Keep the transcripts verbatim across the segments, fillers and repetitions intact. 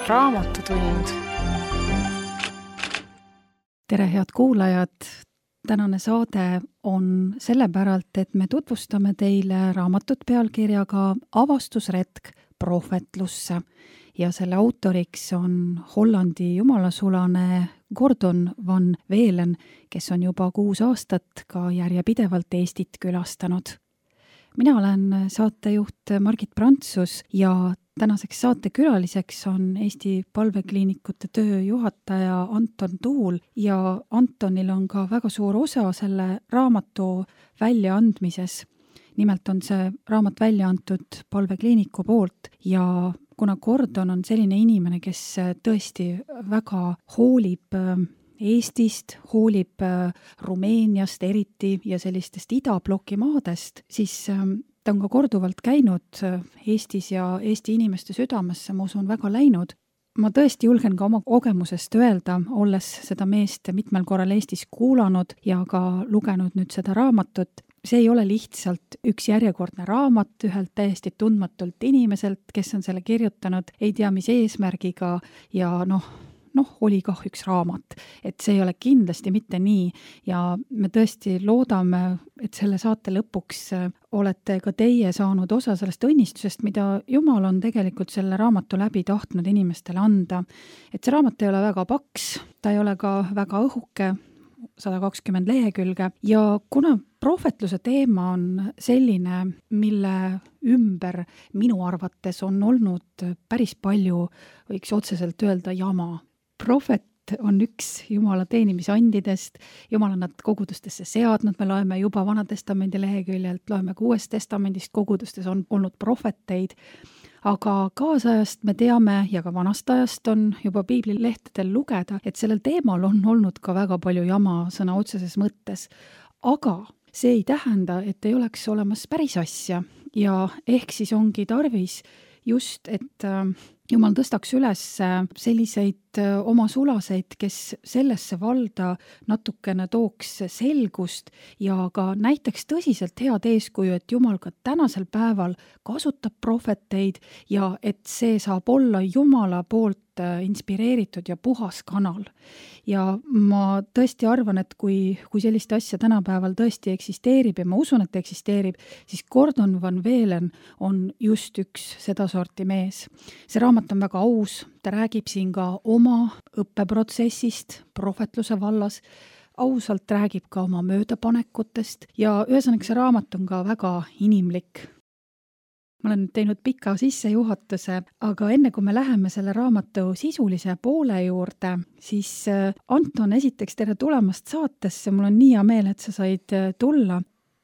Raamatutund. Tere, head kuulajad! Tänane saade on sellepäralt, et me tutvustame teile raamatut pealkirjaga Avastusretk prohvetlusse ja selle autoriks on Hollandi jumalasulane Gordon van Velen, kes on juba kuus aastat ka järjepidevalt Eestit külastanud. Mina olen saatejuht Margit Prantsus ja tänaseks saatekülaliseks on Eesti palvekliinikute tööjuhataja Anton Tuul ja Antonil on ka väga suur osa selle raamatu väljaandmises. Nimelt on see raamat välja antud palvekliiniku poolt ja kuna Gordon on selline inimene, kes tõesti väga hoolib Eestist, hoolib Rumeeniast eriti ja sellistest idabloki maadest, siis ta on ka korduvalt käinud Eestis ja Eesti inimeste südamesse, ma usun, väga läinud. Ma tõesti julgen ka oma kogemusest öelda, olles seda meest mitmel korral Eestis kuulanud ja ka lugenud nüüd seda raamatut. See ei ole lihtsalt üks järjekordne raamat ühelt täiesti tundmatult inimeselt, kes on selle kirjutanud, ei tea mis eesmärgiga ja noh, noh, oli kah üks raamat. Et see ei ole kindlasti mitte nii ja me tõesti loodame, et selle saate lõpuks olete ka teie saanud osa sellest õnnistusest, mida Jumal on tegelikult selle raamatu läbi tahtnud inimestele anda. Et see raamat ei ole väga paks, ta ei ole ka väga õhuke, sada kakskümmend lehekülge ja kuna prohvetluse teema on selline, mille ümber minu arvates on olnud päris palju, võiks otseselt öelda jama. Prohvet on üks Jumala teenimisandidest, Jumal on nad kogudustesse seadnud, me loeme juba Vanatestamendi leheküljelt, loeme ka Uuest testamendist, kogudustes on olnud prohveteid, aga kaasajast me teame ja ka vanast ajast on juba piiblilehtedel lugeda, et sellel teemal on olnud ka väga palju jama sõna otseses mõttes, aga see ei tähenda, et ei oleks olemas päris asja ja ehk siis ongi tarvis just, et Jumal tõstaks üles selliseid oma sulaseid, kes sellesse valda natukene tooks selgust ja ka näiteks tõsiselt head eeskuju, et Jumal ka tänasel päeval kasutab prohveteid ja et see saab olla Jumala poolt inspireeritud ja puhas kanal. Ja ma tõesti arvan, et kui, kui sellist asja tänapäeval tõesti eksisteerib ja ma usun, et eksisteerib, siis Gordon van Velen on just üks sedasorti mees. See raamat on väga aus, ta räägib siin ka oma õppeprotsessist prohvetluse vallas, ausalt räägib ka oma möödapanekutest ja ühesõnaga see raamat on ka väga inimlik. Ma olen teinud pika sissejuhatuse, aga enne kui me läheme selle raamatu sisulise poole juurde, siis Anton, esiteks tere tulemast saatesse, mul on nii hea meel, et sa said tulla.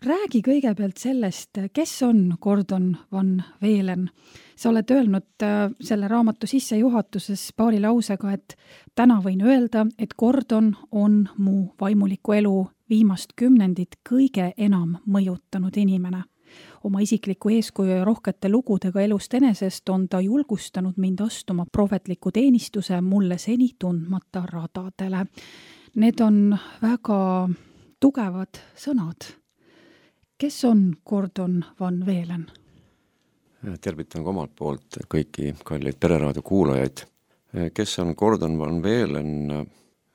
Räägi kõigepealt sellest, kes on Gordon van Velen. Sa oled öelnud selle raamatu sissejuhatuses paari lausega, et täna võin öelda, et Gordon on mu vaimuliku elu viimast kümnendit kõige enam mõjutanud inimene. Oma isikliku eeskuju ja rohkete lugudega elust enesest on ta julgustanud mind astuma prohvetliku teenistuse mulle seni tundmata radadele. Need on väga tugevad sõnad. Kes on Gordon van Velen? Tervitan ka omalt poolt kõiki kalleid pereraadio kuulajaid. Kes on Gordon van Velen?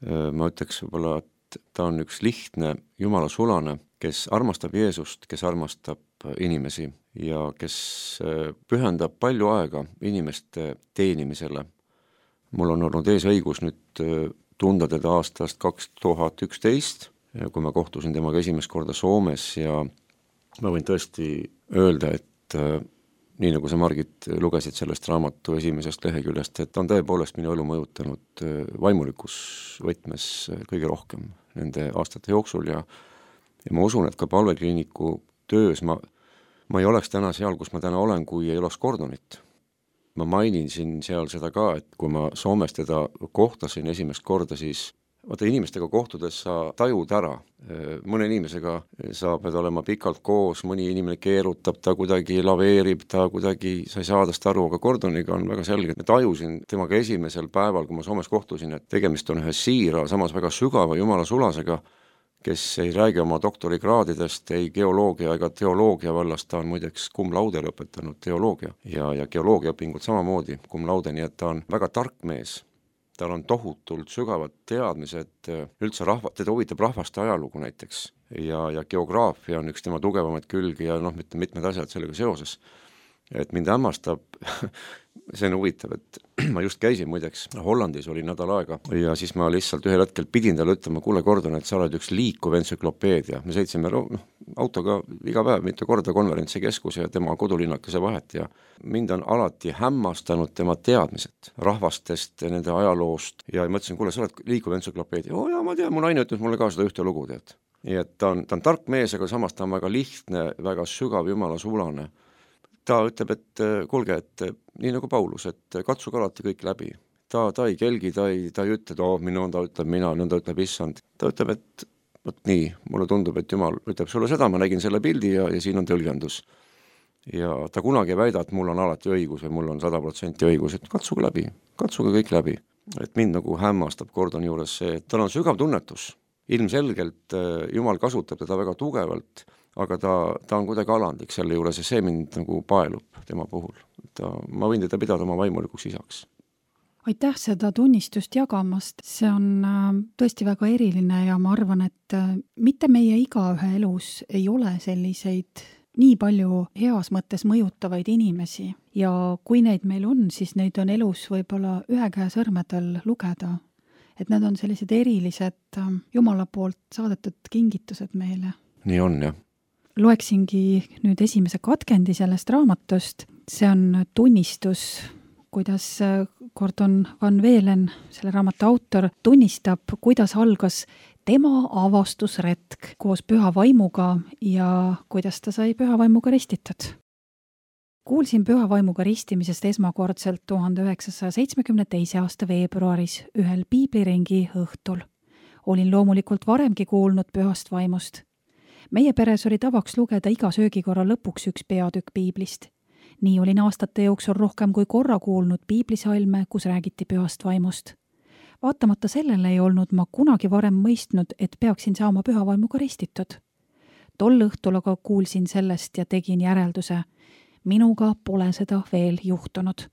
Ma ütleks võib-olla, et ta on üks lihtne Jumala sulane, kes armastab Jeesust, kes armastab inimesi ja kes pühendab palju aega inimeste teenimisele. Mul on olnud ees õigus nüüd tunda teda aastast kaks tuhat üksteist, kui ma kohtusin temaga esimest korda Soomes ja ma võin tõesti öelda, et nii nagu sa, Margit, lugesid sellest raamatu esimesest leheküljest, et ta on tõepoolest minu elu mõjutanud vaimulikus võtmes kõige rohkem nende aastate jooksul ja Ja ma usun, et ka palvekliiniku töös ma, ma ei oleks täna seal, kus ma täna olen, kui ei oleks Gordonit. Ma mainin siin seal seda ka, et kui ma Soomes teda kohtasin esimest korda, siis vaata inimestega kohtudes sa tajud ära. Mõne inimesega sa pead olema pikalt koos, mõni inimene keerutab, ta kuidagi laveerib, ta kuidagi, sa ei saa tast aru, aga Gordoniga on väga selge. Ma tajusin temaga esimesel päeval, kui ma Soomes kohtusin, et tegemist on ühe siira, samas väga sügava Jumala sulasega, kes ei räägi oma doktorikraadidest, ei geoloogia ega teoloogia vallast, ta on muideks cum laude lõpetanud teoloogia ja, ja geoloogia õpingud samamoodi cum laude, nii et ta on väga tark mees. Tal on tohutult sügavad teadmised, üldse rahva, teda huvitab rahvaste ajalugu näiteks ja, ja geograafia on üks tema tugevamaid külgi ja noh, mitte mitmed asjad sellega seoses. Et mind hämmastab, see on huvitav, et ma just käisin muideks, Hollandis oli nädal aega ja siis ma lihtsalt ühel hetkel pidin talle ütlema, kuule Gordon, et sa oled üks liikuv entsüklopeedia. Me sõitsime no, autoga iga päev mitu korda konverentsi keskus ja tema kodulinnakese vahet ja mind on alati hämmastanud tema teadmised rahvastest, nende ajaloost ja ma ütlesin, kuule, sa oled liikuv entsüklopeedia. Oo jaa, ma tean, mu naine ütles mulle ka seda ühte lugu, tead. Nii et ta on, ta on tark mees, aga samas ta on väga lihtne, väga sügav jumala sulane. Ta ütleb, et kuulge, et nii nagu Paulus, et katsuge alati kõik läbi. Ta, ta ei kelgi, ta ei, ta ei ütle, et oh, minu ta ütleb mina, nõnda ütleb issand. Ta ütleb, et võt nii, mulle tundub, et Jumal ütleb sulle seda, ma nägin selle pildi ja, ja siin on tõlgendus. Ja ta kunagi ei väida, et mul on alati õigus või mul on sada protsenti õigus, et katsuge läbi, katsuge kõik läbi. Et mind nagu hämmastab Gordoni juures see, et tal on sügav tunnetus. Ilmselgelt Jumal kasutab teda väga tugevalt, aga ta, ta on kuidagi alandlik selle juures ja see mind nagu paelub tema puhul. Ta, ma võin teda pidada oma vaimulikuks isaks. Aitäh seda tunnistust jagamast, see on tõesti väga eriline ja ma arvan, et mitte meie igaühe elus ei ole selliseid nii palju heas mõttes mõjutavaid inimesi ja kui neid meil on, siis neid on elus võib-olla ühe käe sõrmedel lugeda, et need on sellised erilised Jumala poolt saadetud kingitused meile. Nii on, jah. Loeksingi nüüd esimese katkendi sellest raamatust. See on tunnistus, kuidas Gordon Van Velen, selle raamatu autor, tunnistab, kuidas algas tema avastusretk koos püha vaimuga ja kuidas ta sai püha vaimuga ristitud. Kuulsin püha vaimuga ristimisest esmakordselt tuhande üheksasaja seitsmekümne teise aasta veebruaris ühel piibliringi õhtul. Olin loomulikult varemgi kuulnud pühast vaimust. Meie peres oli tavaks lugeda iga söögikorra lõpuks üks peatükk piiblist. Nii olin aastate jooksul rohkem kui korra kuulnud piiblisalme, kus räägiti pühast vaimust. Vaatamata sellele ei olnud ma kunagi varem mõistnud, et peaksin saama püha vaimuga ristitud. Tol õhtul aga kuulsin sellest ja tegin järelduse. Minuga pole seda veel juhtunud.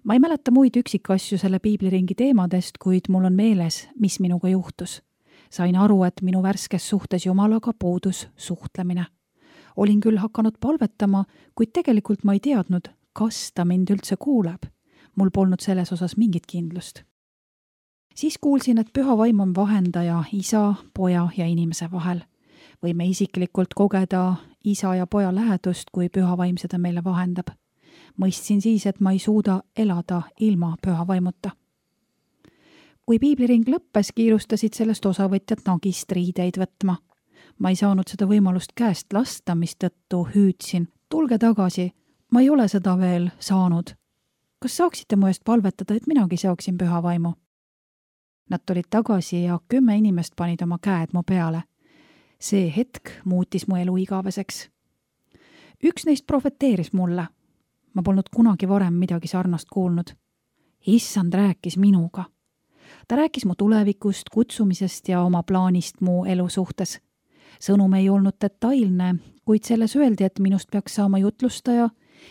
Ma ei mäleta muid üksikasju selle piibliringi teemadest, kuid mul on meeles, mis minuga juhtus. Sain aru, et minu värskes suhtes Jumalaga puudus suhtlemine. Olin küll hakanud palvetama, kuid tegelikult ma ei teadnud, kas ta mind üldse kuuleb. Mul polnud selles osas mingit kindlust. Siis kuulsin, et püha vaim on vahendaja isa, poja ja inimese vahel. Võime isiklikult kogeda isa ja poja lähedust, kui püha vaim seda meile vahendab. Mõistsin siis, et ma ei suuda elada ilma püha vaimuta. Kui piibliring lõppes, kiirustasid sellest osavõtjad nagist riideid võtma. Ma ei saanud seda võimalust käest lasta, mistõttu hüüdsin. Tulge tagasi, ma ei ole seda veel saanud. Kas saaksite mu eest palvetada, et minagi saaksin püha vaimu? Nad tulid tagasi ja kümme inimest panid oma käed mu peale. See hetk muutis mu elu igaveseks. Üks neist profeteeris mulle. Ma polnud kunagi varem midagi sarnast kuulnud. Issand rääkis minuga. Ta rääkis mu tulevikust, kutsumisest ja oma plaanist mu elu suhtes. Sõnum ei olnud detailne, kuid selles öeldi, et minust peaks saama jutlustaja,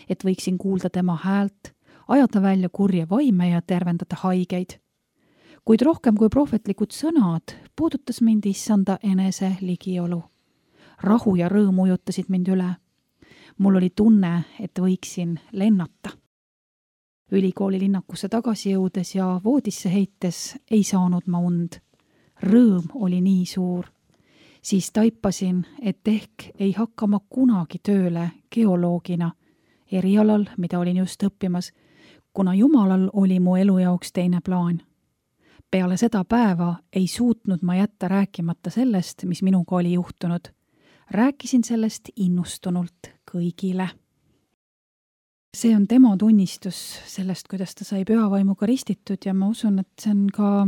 et võiksin kuulda tema häält, ajada välja kurje vaime ja tervendada haigeid. Kuid rohkem kui prohvetlikud sõnad puudutas mind issanda enese ligiolu. Rahu ja rõõm ujutasid mind üle. Mul oli tunne, et võiksin lennata. Ülikooli linnakusse tagasi jõudes ja voodisse heites ei saanud ma und. Rõõm oli nii suur. Siis taipasin, et ehk ei hakka ma kunagi tööle geoloogina, erialal, mida olin just õppimas, kuna Jumalal oli mu elu jaoks teine plaan. Peale seda päeva ei suutnud ma jätta rääkimata sellest, mis minuga oli juhtunud. Rääkisin sellest innustunult kõigile. See on tema tunnistus sellest, kuidas ta sai püha vaimuga ristitud ja ma usun, et see on ka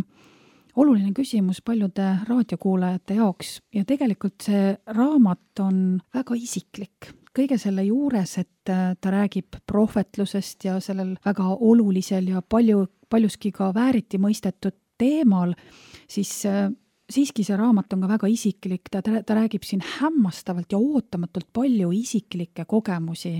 oluline küsimus paljude raadiokuulajate jaoks ja tegelikult see raamat on väga isiklik. Kõige selle juures, et ta räägib prohvetlusest ja sellel väga olulisel ja palju, paljuski ka vääriti mõistetud teemal, siis siiski see raamat on ka väga isiklik, ta, ta räägib siin hämmastavalt ja ootamatult palju isiklikke kogemusi,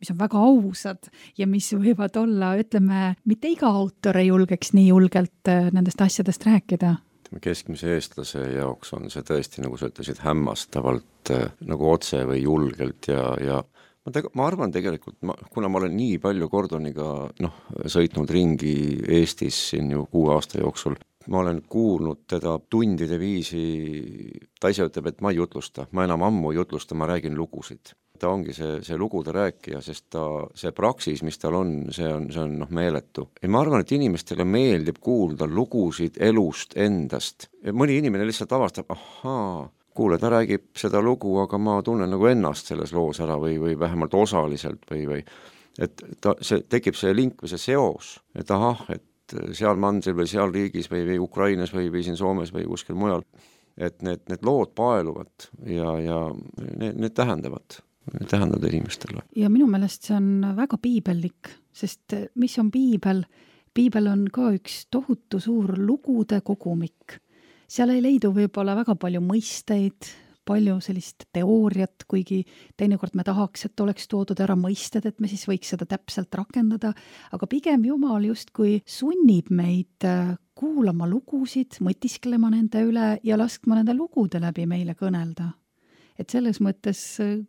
mis on väga ausad ja mis võivad olla, ütleme, mitte iga autor ei julgeks nii julgelt nendest asjadest rääkida. Keskmise eestlase jaoks on see tõesti, nagu sa ütlesid, hämmastavalt nagu otse või julgelt ja, ja ma, teg- ma arvan tegelikult, ma, kuna ma olen nii palju Gordoniga noh, sõitnud ringi Eestis siin ju kuue aasta jooksul, ma olen kuulnud teda tundide viisi, ta ise ütleb, et ma ei jutlusta, ma enam ammu ei jutlusta, ma räägin lugusid. Ta ongi see, see lugude rääkija, sest ta, see praksis, mis tal on, see on, see on noh, meeletu. Ja ma arvan, et inimestele meeldib kuulda lugusid elust endast. Ja mõni inimene lihtsalt avastab, ahaa, kuule, ta räägib seda lugu, aga ma tunnen nagu ennast selles loos ära või, või vähemalt osaliselt või, või et ta, see, tekib see link või see seos, et ahah, et seal mandril või seal riigis või, või Ukrainas või, või siin Soomes või kuskil mujal, et need, need lood paeluvad ja, ja need, need tähendavad, need tähendavad inimestele. Ja minu meelest see on väga piibellik, sest mis on piibel? Piibel on ka üks tohutu suur lugude kogumik. Seal ei leidu võib-olla väga palju mõisteid, palju sellist teooriat, kuigi teinekord me tahaks, et oleks toodud ära mõisted, et me siis võiks seda täpselt rakendada, aga pigem Jumal justkui sunnib meid kuulama lugusid, mõtisklema nende üle ja laskma nende lugude läbi meile kõnelda. Et selles mõttes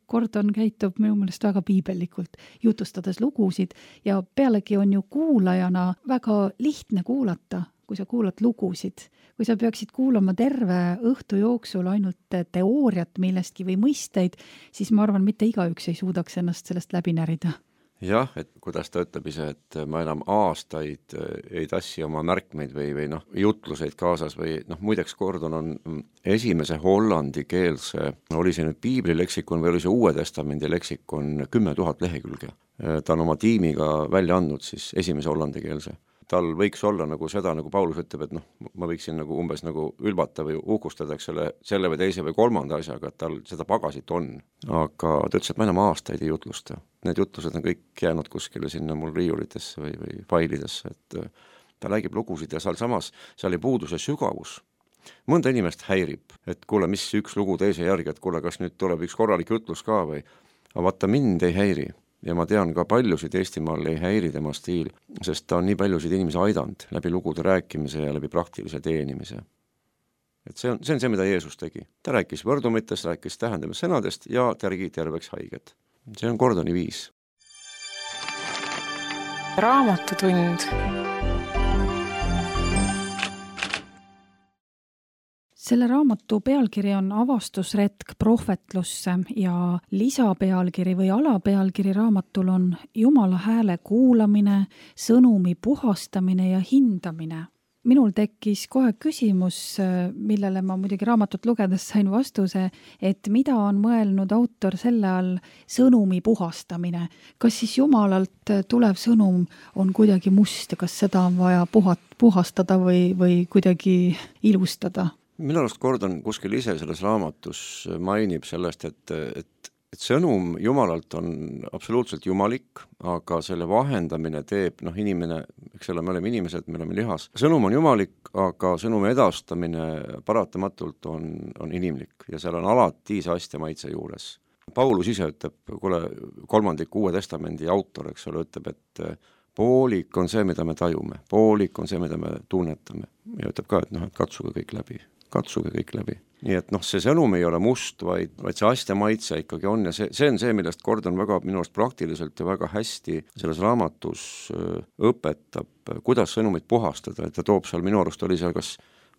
Gordon käitub minu meelest väga piibellikult, jutustades lugusid ja pealegi on ju kuulajana väga lihtne kuulata, kui sa kuulad lugusid. Kui sa peaksid kuulama terve õhtu jooksul ainult teooriat millestki või mõisteid, siis ma arvan, mitte igaüks ei suudaks ennast sellest läbi närida. Jah, et kuidas ta ütleb ise, et ma enam aastaid ei tassi oma märkmeid või, või noh, jutluseid kaasas või noh, muideks Gordon on esimese hollandi keelse, oli see nüüd Piibli leksikon või oli see Uue Testamendi leksikon kümme tuhat lehekülge. Ta on oma tiimiga välja andnud siis esimese hollandi keelse. Tal võiks olla nagu seda, nagu Paulus ütleb, et noh, ma võiksin nagu umbes nagu ülbata või uhkustada selle, selle või teise või kolmanda asjaga, et tal seda pagasit on. Aga ta ütles, et ma enam aastaid ei jutlusta. Need jutlused on kõik jäänud kuskile sinna mul riiulitesse või, või failidesse, et ta räägib lugusid ja seal samas, seal ei puudu see sügavus. Mõnda inimest häirib, et kuule, mis üks lugu teise järgi, et kuule, kas nüüd tuleb üks korralik jutlus ka või, aga vaata mind ei häiri. Ja ma tean ka paljusid Eestimaal ei häiri tema stiil, sest ta on nii paljusid inimesi aidanud läbi lugude rääkimise ja läbi praktilise teenimise. Et see on, see on see, mida Jeesus tegi. Ta rääkis võrdumitest, rääkis tähendamissõnadest ja tärgi terveks haiged. See on Gordoni viis. Raamatutund. Selle raamatu pealkiri on avastusretk prohvetlusse ja lisapealkiri või alapealkiri raamatul on Jumala hääle kuulamine, sõnumi puhastamine ja hindamine. Minul tekkis kohe küsimus, millele ma muidugi raamatut lugedes sain vastuse, et mida on mõelnud autor selle all sõnumi puhastamine. Kas siis Jumalalt tulev sõnum on kuidagi must ja kas seda on vaja puhat, puhastada või, või kuidagi ilustada? Minu arust Gordon kuskil ise selles raamatus mainib sellest, et, et, et sõnum Jumalalt on absoluutselt jumalik, aga selle vahendamine teeb, noh inimene, eks ole, me oleme inimesed, me oleme lihas. Sõnum on jumalik, aga sõnumi edastamine paratamatult on, on inimlik ja seal on alati see astja maitse juures. Paulus ise ütleb, kuule, kolmandik Uue Testamendi autor, eks ole, ütleb, et poolik on see, mida me tajume, poolik on see, mida me tunnetame ja ütleb ka, et noh, et katsuge kõik läbi. katsuge kõik läbi. Nii et noh, see sõnum ei ole must, vaid, vaid see astja maitse ikkagi on ja see, see on see, millest Gordon väga minu arust praktiliselt ja väga hästi selles raamatus õpetab, kuidas sõnumit puhastada, et ta toob seal, minu arust oli seal kas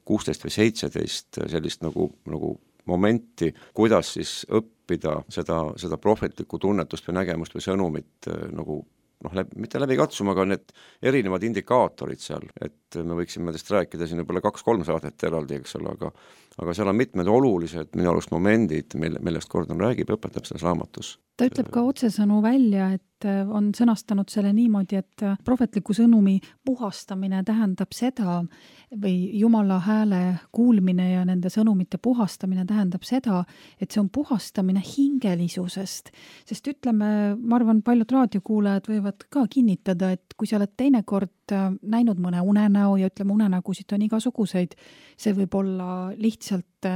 kuusteist või seitseteist sellist nagu, nagu momenti, kuidas siis õppida seda, seda prohvetlikku tunnetust või nägemust või sõnumit nagu noh, läbi, mitte läbi katsuma, aga need erinevad indikaatorid seal, et me võiksime täst rääkida siin võib-olla kaks-kolm saadet eraldi, eks ole, aga, aga seal on mitmed olulised minu arust momendid, mille, millest Gordon räägib, õpetab selles raamatus. ta ütleb ka otsesõnu välja, et on sõnastanud selle niimoodi, et prohvetliku sõnumi puhastamine tähendab seda või Jumala hääle kuulmine ja nende sõnumite puhastamine tähendab seda, et see on puhastamine hingelisusest. Sest ütleme, ma arvan, paljud raadiokuulajad võivad ka kinnitada, et kui sa oled teinekord näinud mõne unenäo ja ütleme, unenägusid on igasuguseid, see võib olla lihtsalt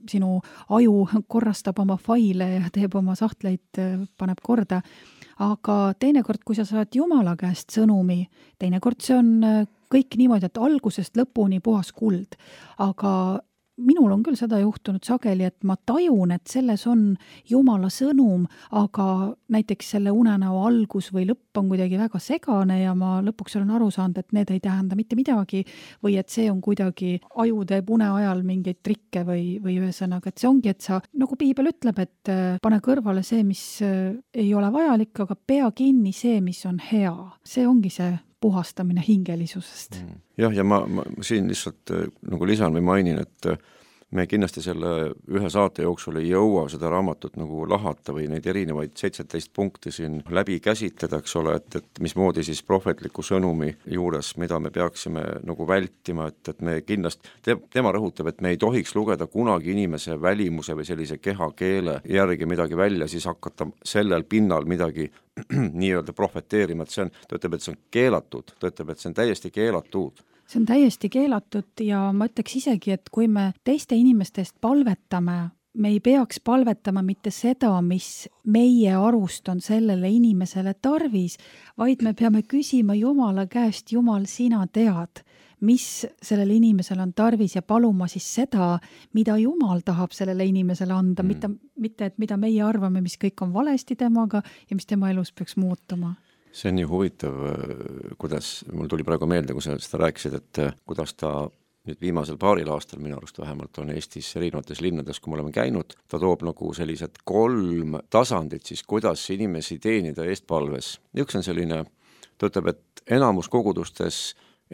sinu aju korrastab oma faile ja teeb oma sahtleid, paneb korda. Aga teinekord, kui sa saad Jumala käest sõnumi, teinekord see on kõik niimoodi, et algusest lõpuni puhas kuld. Aga minul on küll seda juhtunud sageli, et ma tajun, et selles on Jumala sõnum, aga näiteks selle unenäo algus või lõpp on kuidagi väga segane ja ma lõpuks olen aru saanud, et need ei tähenda mitte midagi või et see on kuidagi aju teeb une ajal mingeid trikke või, või ühesõnaga, et see ongi, et sa, nagu piibel ütleb, et pane kõrvale see, mis ei ole vajalik, aga pea kinni see, mis on hea. See ongi see puhastamine hingelisusest. Jah, ja ma, ma siin lihtsalt nagu lisan või mainin, et me kindlasti selle ühe saate jooksul ei jõua seda raamatut nagu lahata või neid erinevaid seitseteist punkti siin läbi käsitleda, eks ole, et, et mismoodi siis prohvetliku sõnumi juures, mida me peaksime nagu vältima, et, et me kindlasti, te, tema rõhutab, et me ei tohiks lugeda kunagi inimese välimuse või sellise kehakeele järgi midagi välja, siis hakata sellel pinnal midagi nii-öelda prohveteerima, et see on, ta ütleb, et see on keelatud, ta ütleb, et see on täiesti keelatud. See on täiesti keelatud ja ma ütleks isegi, et kui me teiste inimestest palvetame, me ei peaks palvetama mitte seda, mis meie arust on sellele inimesele tarvis, vaid me peame küsima Jumala käest, Jumal, sina tead, mis sellele inimesele on tarvis ja paluma siis seda, mida Jumal tahab sellele inimesele anda, mm. mitte, mitte et mida meie arvame, mis kõik on valesti temaga ja mis tema elus peaks muutuma. See on nii huvitav, kuidas, mul tuli praegu meelde, kui sa seda rääkisid, et kuidas ta nüüd viimasel paaril aastal, minu arust vähemalt on Eestis erinevates linnades, kui me oleme käinud, ta toob nagu sellised kolm tasandit siis, kuidas inimesi teenida eestpalves. Üks on selline, ta ütleb, et enamus kogudustes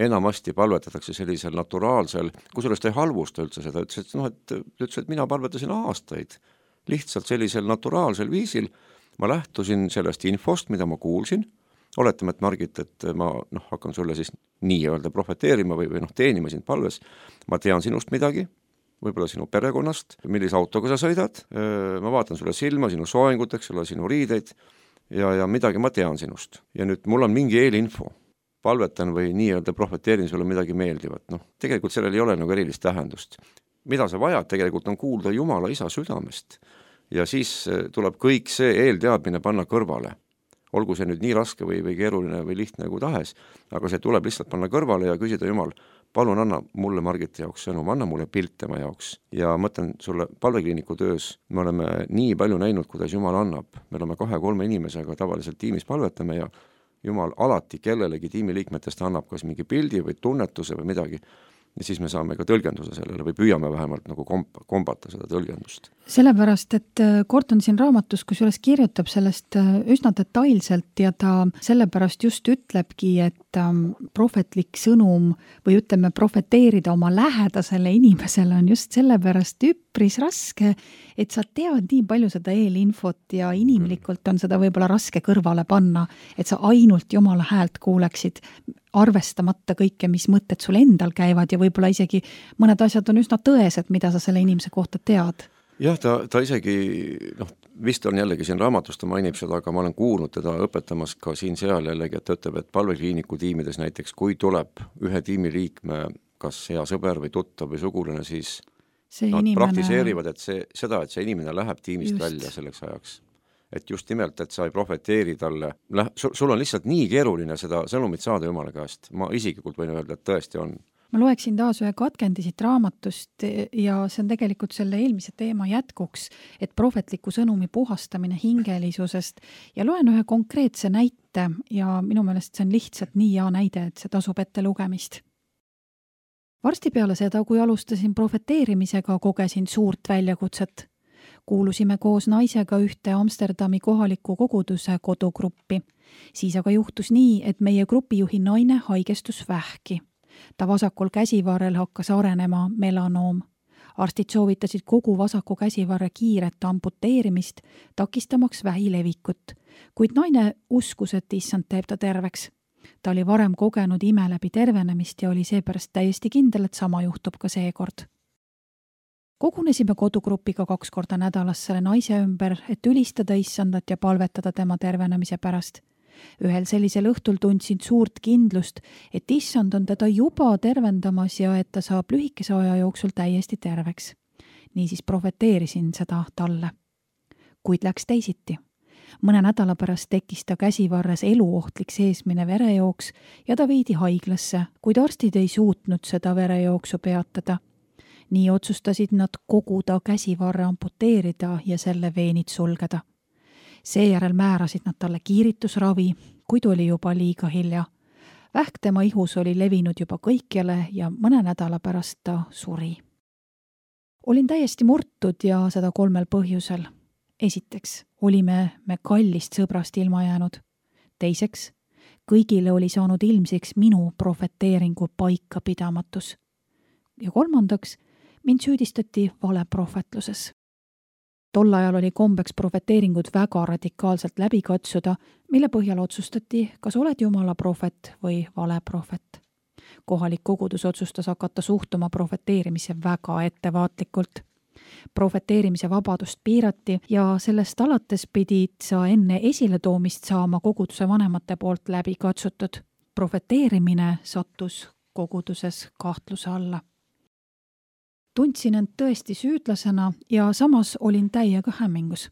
enamasti palvetatakse sellisel naturaalsel, kusjuures ta ei halvusta üldse seda, ütles, et, no, et, ütles, et mina palvetasin aastaid lihtsalt sellisel naturaalsel viisil, ma lähtusin sellest infost, mida ma kuulsin, oletame, et Margit, et ma noh, hakkan sulle siis nii-öelda profeteerima või, või noh, teenima sind palves, ma tean sinust midagi, võib-olla sinu perekonnast, millise autoga sa sõidad, ma vaatan sulle silma, sinu soenguteks, sulle sinu riideid ja, ja midagi ma tean sinust. Ja nüüd mul on mingi eelinfo, palvetan või nii-öelda profeteerin sulle midagi meeldivat. Noh, tegelikult sellel ei ole nagu erilist tähendust. Mida sa vajad tegelikult on kuulda Jumala isa südamest ja siis tuleb kõik see eelteadmine panna kõrvale. Olgu see nüüd nii raske või, või keeruline või lihtne kui tahes, aga see tuleb lihtsalt panna kõrvale ja küsida Jumal, palun anna mulle Margiti jaoks sõnum, anna mulle pilt tema jaoks. Ja mõtlen sulle palvekliiniku töös, me oleme nii palju näinud, kuidas Jumal annab. Me oleme kahe-kolme inimesega tavaliselt tiimis palvetame ja Jumal alati kellelegi tiimiliikmetest annab kas mingi pildi või tunnetuse või midagi. Ja siis me saame ka tõlgenduse sellele või püüame vähemalt nagu komp- kombata seda tõlgendust. Sellepärast, et Gordon siin raamatus, kus üles kirjutab sellest üsna detailselt ja ta sellepärast just ütlebki, et prohvetlik sõnum või ütleme profeteerida oma lähedasele inimesele on just sellepärast üpris raske, et sa tead nii palju seda eelinfot ja inimlikult on seda võib-olla raske kõrvale panna, et sa ainult Jumala häält kuuleksid, arvestamata kõike, mis mõtted sul endal käivad ja võib-olla isegi mõned asjad on üsna tõesed, mida sa selle inimese kohta tead. Jah, ta, ta isegi, noh, vist on jällegi siin raamatus, ta mainib seda, aga ma olen kuulnud teda õpetamas ka siin seal jällegi, et ta ütleb, et palvekliiniku tiimides näiteks, kui tuleb ühe tiimiliikme, kas hea sõber või tuttav või sugulane, siis see nad inimene... praktiseerivad, et see, seda, et see inimene läheb tiimist just välja selleks ajaks. Et just nimelt, et sa ei profeteeri talle, sul on lihtsalt nii keeruline seda sõnumit saada Jumala käest. Ma isiklikult võin öelda, et tõesti on. Ma loeksin taas ühe katkendi siit raamatust ja see on tegelikult selle eelmise teema jätkuks, et prohvetliku sõnumi puhastamine hingelisusest ja loen ühe konkreetse näite ja minu meelest see on lihtsalt nii hea näide, et see tasub ette lugemist. Varsti peale seda, kui alustasin profeteerimisega, kogesin suurt väljakutset. Kuulusime koos naisega ühte Amsterdami kohaliku koguduse kodugruppi. Siis aga juhtus nii, et meie grupijuhi naine haigestus vähki. Ta vasakul käsivarrel hakkas arenema melanoom. Arstid soovitasid kogu vasaku käsivarre kiiret amputeerimist, takistamaks vähi levikut, kuid naine uskus, et issand teeb ta terveks. Ta oli varem kogenud ime läbi tervenemist ja oli seepärast täiesti kindel, et sama juhtub ka seekord. Kogunesime kodugrupiga kaks korda nädalas selle naise ümber, et ülistada issandat ja palvetada tema tervenemise pärast. Ühel sellisel õhtul tundsin suurt kindlust, et issand on teda juba tervendamas ja et ta saab lühikese aja jooksul täiesti terveks. Niisiis profeteerisin seda talle. Kuid läks teisiti. Mõne nädala pärast tekkis ta käsivarres eluohtlik seesmine verejooks ja ta viidi haiglasse, kuid arstid ei suutnud seda verejooksu peatada. Nii otsustasid nad kogu ta käsivarre amputeerida ja selle veenid sulgeda. Seejärel määrasid nad talle kiiritusravi, kuid oli juba liiga hilja. Vähk tema ihus oli levinud juba kõikjale ja mõne nädala pärast ta suri. Olin täiesti murtud ja seda kolmel põhjusel. Esiteks, olime me kallist sõbrast ilma jäänud. Teiseks, kõigile oli saanud ilmsiks minu profeteeringu paika pidamatus. Ja kolmandaks, mind süüdistati valeprohvetluses. Tol ajal oli kombeks profeteeringud väga radikaalselt läbi katsuda, mille põhjal otsustati, kas oled Jumala prohvet või valeprohvet. Kohalik kogudus otsustas hakata suhtuma profeteerimise väga ettevaatlikult. Profeteerimise vabadust piirati ja sellest alates pidid sa enne esiletoomist saama koguduse vanemate poolt läbi katsutud. Profeteerimine sattus koguduses kahtluse alla. Tundsin end tõesti süüdlasena ja samas olin täiega hämmingus.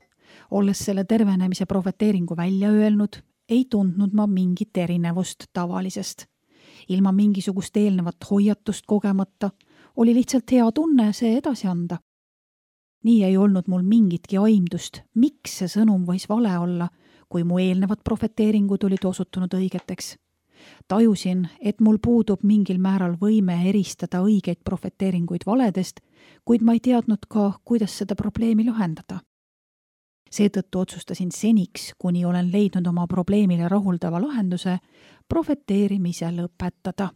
Olles selle tervenemise profeteeringu välja öelnud, ei tundnud ma mingit erinevust tavalisest. Ilma mingisugust eelnevat hoiatust kogemata oli lihtsalt hea tunne see edasi anda. Nii ei olnud mul mingitki aimdust, miks see sõnum võis vale olla, kui mu eelnevad profeteeringud olid osutunud õigeteks. Tajusin, et mul puudub mingil määral võime eristada õigeid profeteeringuid valedest, kuid ma ei teadnud ka, kuidas seda probleemi lahendada. Seetõttu otsustasin seniks, kuni olen leidnud oma probleemile rahuldava lahenduse, profeteerimise lõpetada.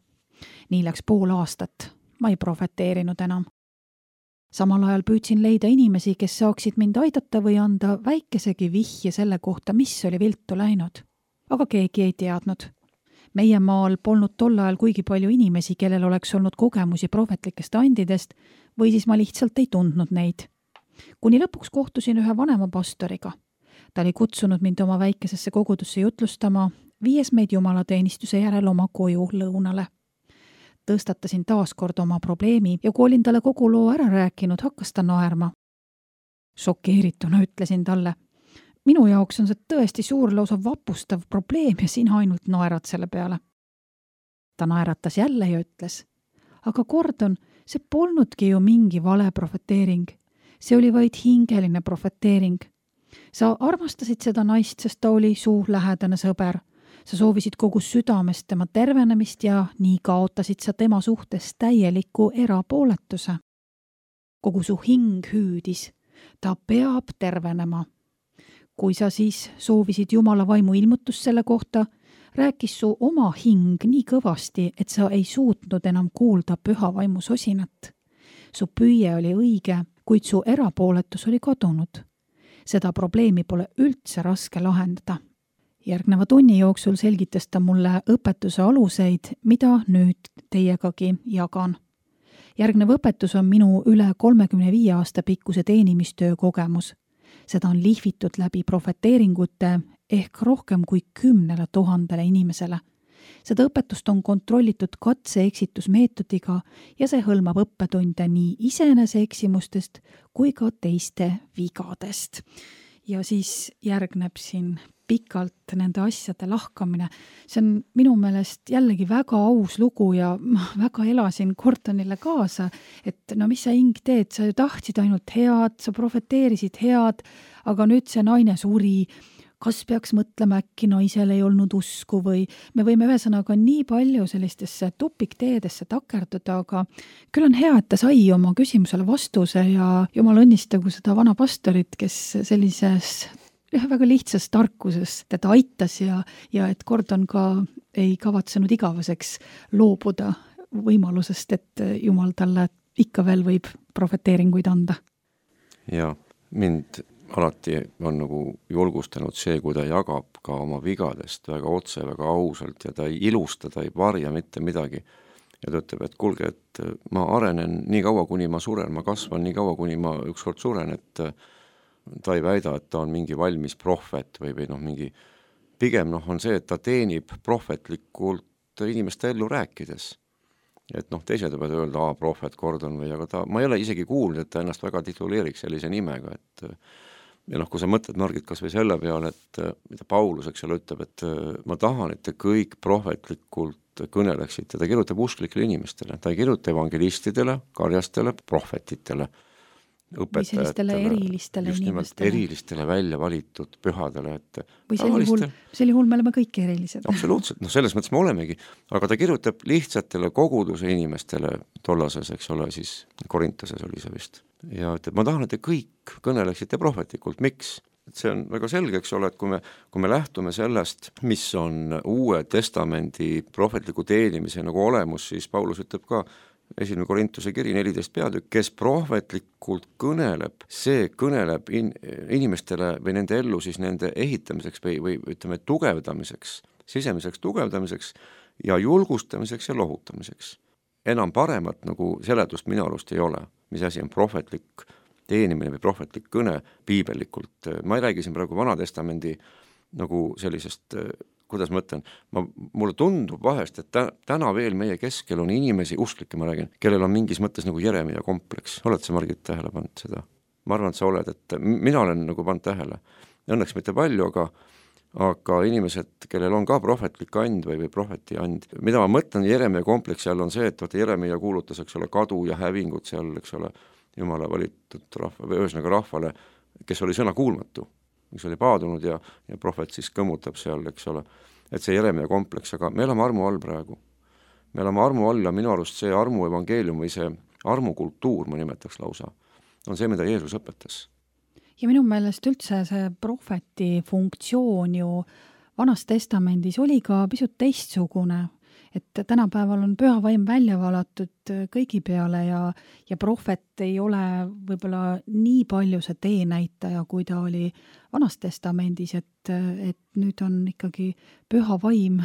Nii läks pool aastat. Ma ei profeteerinud enam. Samal ajal püüdsin leida inimesi, kes saaksid mind aidata või anda väikesegi vihje selle kohta, mis oli viltu läinud. Aga keegi ei teadnud. Meie maal polnud tol ajal kuigi palju inimesi, kellel oleks olnud kogemusi prohvetlikest andidest või siis ma lihtsalt ei tundnud neid. Kuni lõpuks kohtusin ühe vanema pastoriga. Ta oli kutsunud mind oma väikesesse kogudusse jutlustama, viies meid jumalateenistuse järel oma koju lõunale. Tõstatasin taas kord oma probleemi ja kui olin talle kogu loo ära rääkinud, hakkas ta naerma. Šokeerituna ütlesin talle, minu jaoks on see tõesti suur lausa vapustav probleem ja sina ainult naerad selle peale. Ta naeratas jälle ja ütles, aga Gordon, see polnudki ju mingi vale profeteering. See oli vaid hingeline profeteering. Sa armastasid seda naist, sest ta oli su lähedane sõber. Sa soovisid kogu südamest tema tervenemist ja nii kaotasid sa tema suhtes täieliku erapooletuse. Kogu su hing hüüdis. Ta peab tervenema. Kui sa siis soovisid Jumala vaimu ilmutust selle kohta, rääkis su oma hing nii kõvasti, et sa ei suutnud enam kuulda püha vaimu sosinat. Su püüe oli õige, kuid su erapooletus oli kadunud. Seda probleemi pole üldse raske lahendada. Järgneva tunni jooksul selgitas ta mulle õpetuse aluseid, mida nüüd teiegagi jagan. Järgnev õpetus on minu üle kolmekümne viie aasta pikkuse teenimistöö kogemus. Seda on lihvitud läbi profeteeringute ehk rohkem kui kümnele tuhandele inimesele. Seda õpetust on kontrollitud katse-eksitusmeetodiga ja see hõlmab õppetunde nii iseenese eksimustest kui ka teiste vigadest. Ja siis järgneb siin pikalt nende asjade lahkamine. See on minu meelest jällegi väga aus lugu ja ma väga elasin Gordonile kaasa, et no mis sa hing teed, sa ju tahtsid ainult head, sa profeteerisid head, aga nüüd see naine suri. Kas peaks mõtlema äkki naisel ei olnud usku või me võime ühesõnaga nii palju sellistesse tupikteedesse takerduda, aga küll on hea, et ta sai oma küsimusele vastuse ja jumal õnnistagu seda vana pastorit, kes sellises väga lihtsas tarkuses teda aitas ja, ja et Gordon ka ei kavatsenud igaveseks loobuda võimalusest, et Jumal talle ikka veel võib prohveteeringuid anda. Ja mind alati on nagu julgustanud see, kui ta jagab ka oma vigadest väga otse, väga ausalt ja ta ei ilusta, ta ei varja mitte midagi. Ja ta ütleb, et kuulge, et ma arenen nii kaua, kuni ma suren, ma kasvan nii kaua, kuni ma ükskord suren, et ta ei väida, et ta on mingi valmis prohvet või, või noh, mingi, pigem noh, on see, et ta teenib prohvetlikult inimeste ellu rääkides. Et noh, teised võivad öelda, aa, prohvet Gordon või, aga ta, ma ei ole isegi kuulnud, et ta ennast väga tituleeriks sellise nimega, et ja noh, kui sa mõtled, Margit, kas või selle peale, et mida Paulus, eks ole, ütleb, et ma tahan, et te kõik prohvetlikult kõneleksite, ta kirjutab usklikele inimestele, ta ei kirjuta evangelistidele, karjastele, prohvetitele, õpetajatele, erilistele just nimelt inimestele. erilistele välja valitud pühadele, et või sel juhul, sel juhul me oleme kõik erilised. Absoluutselt, noh selles mõttes me olemegi, aga ta kirjutab lihtsatele koguduse inimestele tollases, eks ole, siis Korintases oli see vist, ja ütleb, ma tahan, et te kõik kõneleksite prohvetlikult, miks? Et see on väga selge, eks ole, et kui me, kui me lähtume sellest, mis on uue testamendi prohvetliku teenimise nagu olemus, siis Paulus ütleb ka, esimene Korintuse kiri neliteist peatükk, kes prohvetlikult kõneleb, see kõneleb in, inimestele või nende ellu siis nende ehitamiseks või, või ütleme tugevdamiseks, sisemiseks tugevdamiseks ja julgustamiseks ja lohutamiseks. Enam paremat nagu seletust minu arust ei ole, mis asi on prohvetlik teenimine või prohvetlik kõne piibellikult. Ma ei räägi siin praegu Vanatestamendi nagu sellisest, kuidas ma ütlen, ma, mulle tundub vahest, et tä, täna veel meie keskel on inimesi, usklikke ma räägin, kellel on mingis mõttes nagu Jeremia kompleks. Oled sa, Margit, tähele pannud seda? Ma arvan, et sa oled, et mina olen nagu pannud tähele. Õnneks mitte palju, aga, aga inimesed, kellel on ka prohvetlik and või, või prohveti and, mida ma mõtlen Jeremia kompleks seal on see, et vaata Jeremia kuulutas, eks ole, kadu ja hävingut seal, eks ole, Jumala valitud rahva, või ühesõnaga rahvale, kes oli sõna kuulmatu, mis oli paadunud ja, ja prohvet siis kõmutab seal, eks ole, et see Jeremia kompleks, aga me elame armu all praegu. Me elame armu all ja minu arust see armu evangeelium või see armukultuur, ma nimetaks lausa, on see, mida Jeesus õpetas. Ja minu meelest üldse see prohveti funktsioon ju Vanas testamendis oli ka pisut teistsugune, et tänapäeval on püha vaim välja valatud kõigi peale ja, ja prohvet ei ole võib-olla nii palju see teenäitaja, kui ta oli Vanas testamendis, et, et nüüd on ikkagi püha vaim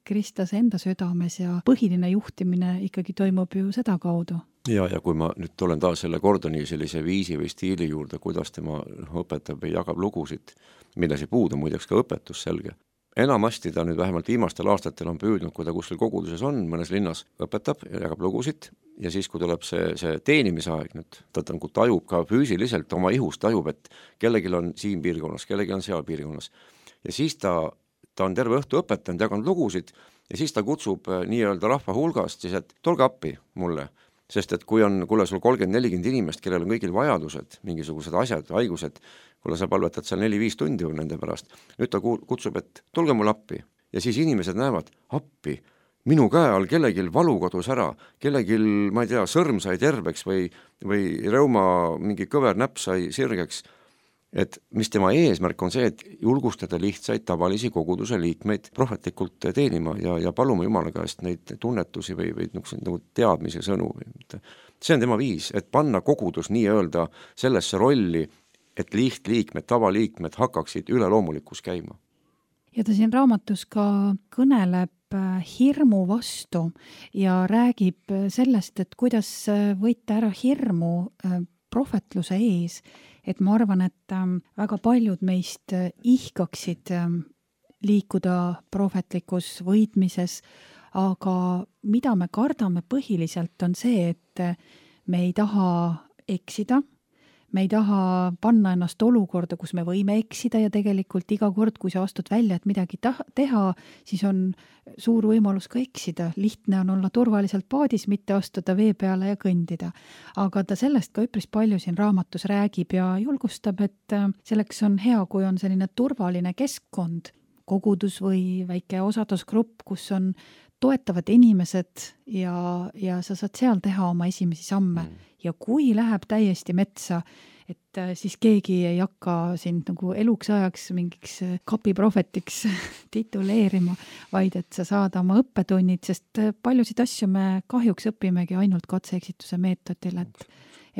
Kristus enda südames ja põhiline juhtimine ikkagi toimub ju seda kaudu. Ja, ja kui ma nüüd olen taas selle Gordoni sellise viisi või stiili juurde, kuidas tema õpetab või jagab lugusid, milles ei puudu muideks ka õpetus selge. Enamasti ta nüüd vähemalt viimastel aastatel on püüdnud, kui ta kuskil koguduses on, mõnes linnas õpetab ja jagab lugusid ja siis, kui tuleb see, see teenimisaeg nüüd, ta nagu tajub ka füüsiliselt oma ihust, tajub, et kellelgi on siin piirkonnas, kellelgi on seal piirkonnas. Ja siis ta, ta on terve õhtu õpetanud, jaganud lugusid ja siis ta kutsub nii-öelda rahva hulgast, siis et tulge appi mulle, sest et kui on, kuule sul kolmkümmend nelikümmend inimest, kellel on kõigil vajadused, mingisugused asjad, haigused, kuule sa palvetad seal neli-viis tundi nende pärast, nüüd ta kutsub, et tulge mul appi. Ja siis inimesed näevad, appi, minu käe all kellegil valu kodus ära, kellegil, ma ei tea, sõrm sai terveks või, või reuma mingi kõver näpp sai sirgeks, et mis tema eesmärk on see, et julgustada lihtsaid tavalisi koguduse liikmeid prohvetlikult teenima ja, ja paluma Jumala käest neid tunnetusi või, või nagu teadmise sõnu. See on tema viis, et panna kogudus nii-öelda sellesse rolli, et lihtliikmed, tavaliikmed hakkaksid üleloomulikus käima. Ja ta siin raamatus ka kõneleb hirmu vastu ja räägib sellest, et kuidas võita ära hirmu prohvetluse ees, et ma arvan, et väga paljud meist ihkaksid liikuda prohvetlikus võitmises, aga mida me kardame põhiliselt on see, et me ei taha eksida, me ei taha panna ennast olukorda, kus me võime eksida ja tegelikult iga kord, kui sa astud välja, et midagi ta- teha, siis on suur võimalus ka eksida. Lihtne on olla turvaliselt paadis, mitte astuda vee peale ja kõndida. Aga ta sellest ka üpris palju siin raamatus räägib ja julgustab, et selleks on hea, kui on selline turvaline keskkond, kogudus või väike osadusgrupp, kus on toetavad inimesed ja, ja sa saad seal teha oma esimesi samme. Mm. Ja kui läheb täiesti metsa, et siis keegi ei hakka sind nagu eluks ajaks mingiks kapiprohvetiks tituleerima, vaid et sa saad oma õppetunnid, sest paljusid asju me kahjuks õpimegi ainult katse-eksituse meetodil, et,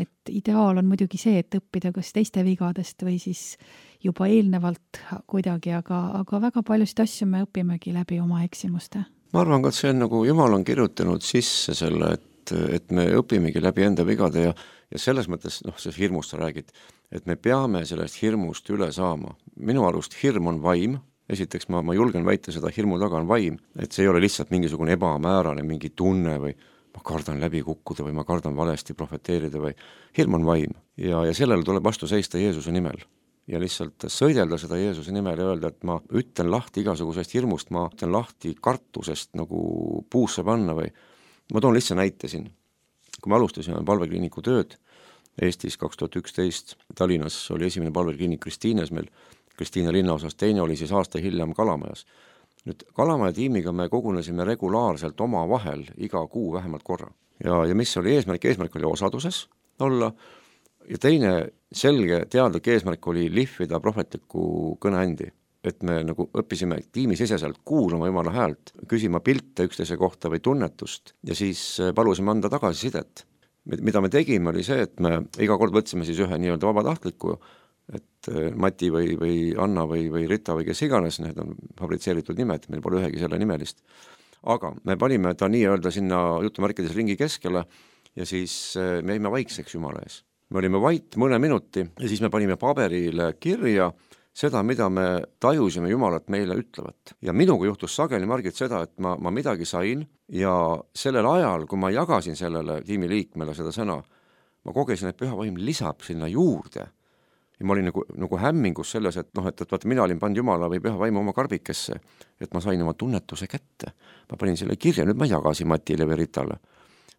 et ideaal on muidugi see, et õppida kas teiste vigadest või siis juba eelnevalt kuidagi, aga, aga väga paljusid asju me õpimegi läbi oma eksimuste. Ma arvan ka, et see on nagu Jumal on kirjutanud sisse selle, et, et me õpimegi läbi enda vigade ja Ja selles mõttes, noh, see hirmust sa räägid, et me peame sellest hirmust üle saama. Minu arust hirm on vaim, esiteks ma, ma julgen väita seda, hirmu taga on vaim, et see ei ole lihtsalt mingisugune ebamäärane mingi tunne või ma kardan läbi kukkuda või ma kardan valesti profeteerida või hirm on vaim. Ja, ja sellele tuleb vastu seista Jeesuse nimel. Ja lihtsalt sõidelda seda Jeesuse nimel ja öelda, et ma ütlen lahti igasugusest hirmust, ma ütlen lahti kartusest nagu puusse panna või ma toon lihtsalt näite siin. Kui me alustasime palvekliiniku tööd Eestis kaks tuhat üksteist, Tallinnas oli esimene palvekliinik Kristiines meil, Kristiine linnaosas, teine oli siis aasta hiljem Kalamajas. Nüüd Kalamaja tiimiga me kogunesime regulaarselt oma vahel iga kuu vähemalt korra. Ja, ja mis oli eesmärk? Eesmärk oli osaduses olla ja teine selge teadlik eesmärk oli lihvida prohvetliku kõneandi. Et me nagu õppisime tiimi siseselt kuulama Jumala häält, küsima pilte üksteise kohta või tunnetust ja siis palusime anda tagasisidet. Mida me tegime oli see, et me iga kord võtsime siis ühe nii-öelda vabatahtliku, et Mati või, või Anna või, või Rita või kes iganes, need on fabritseeritud nimed, meil pole ühegi selle nimelist. Aga me panime ta nii-öelda sinna jutumärkides ringi keskele ja siis me jäime vaikseks Jumala ees. Me olime vait mõne minuti ja siis me panime paberile kirja seda, mida me tajusime Jumalat meile ütlevat. Ja minuga juhtus sageli, Margit, seda, et ma, ma midagi sain ja sellel ajal, kui ma jagasin sellele tiimi liikmele seda sõna, ma kogesin, et püha vaim lisab sinna juurde. Ja ma olin nagu, nagu hämmingus selles, et noh, et, et vaata, mina olin pannud Jumala või püha vaimu oma karbikesse, et ma sain oma tunnetuse kätte. Ma panin selle kirja, nüüd ma jagasin Matile või Ritale.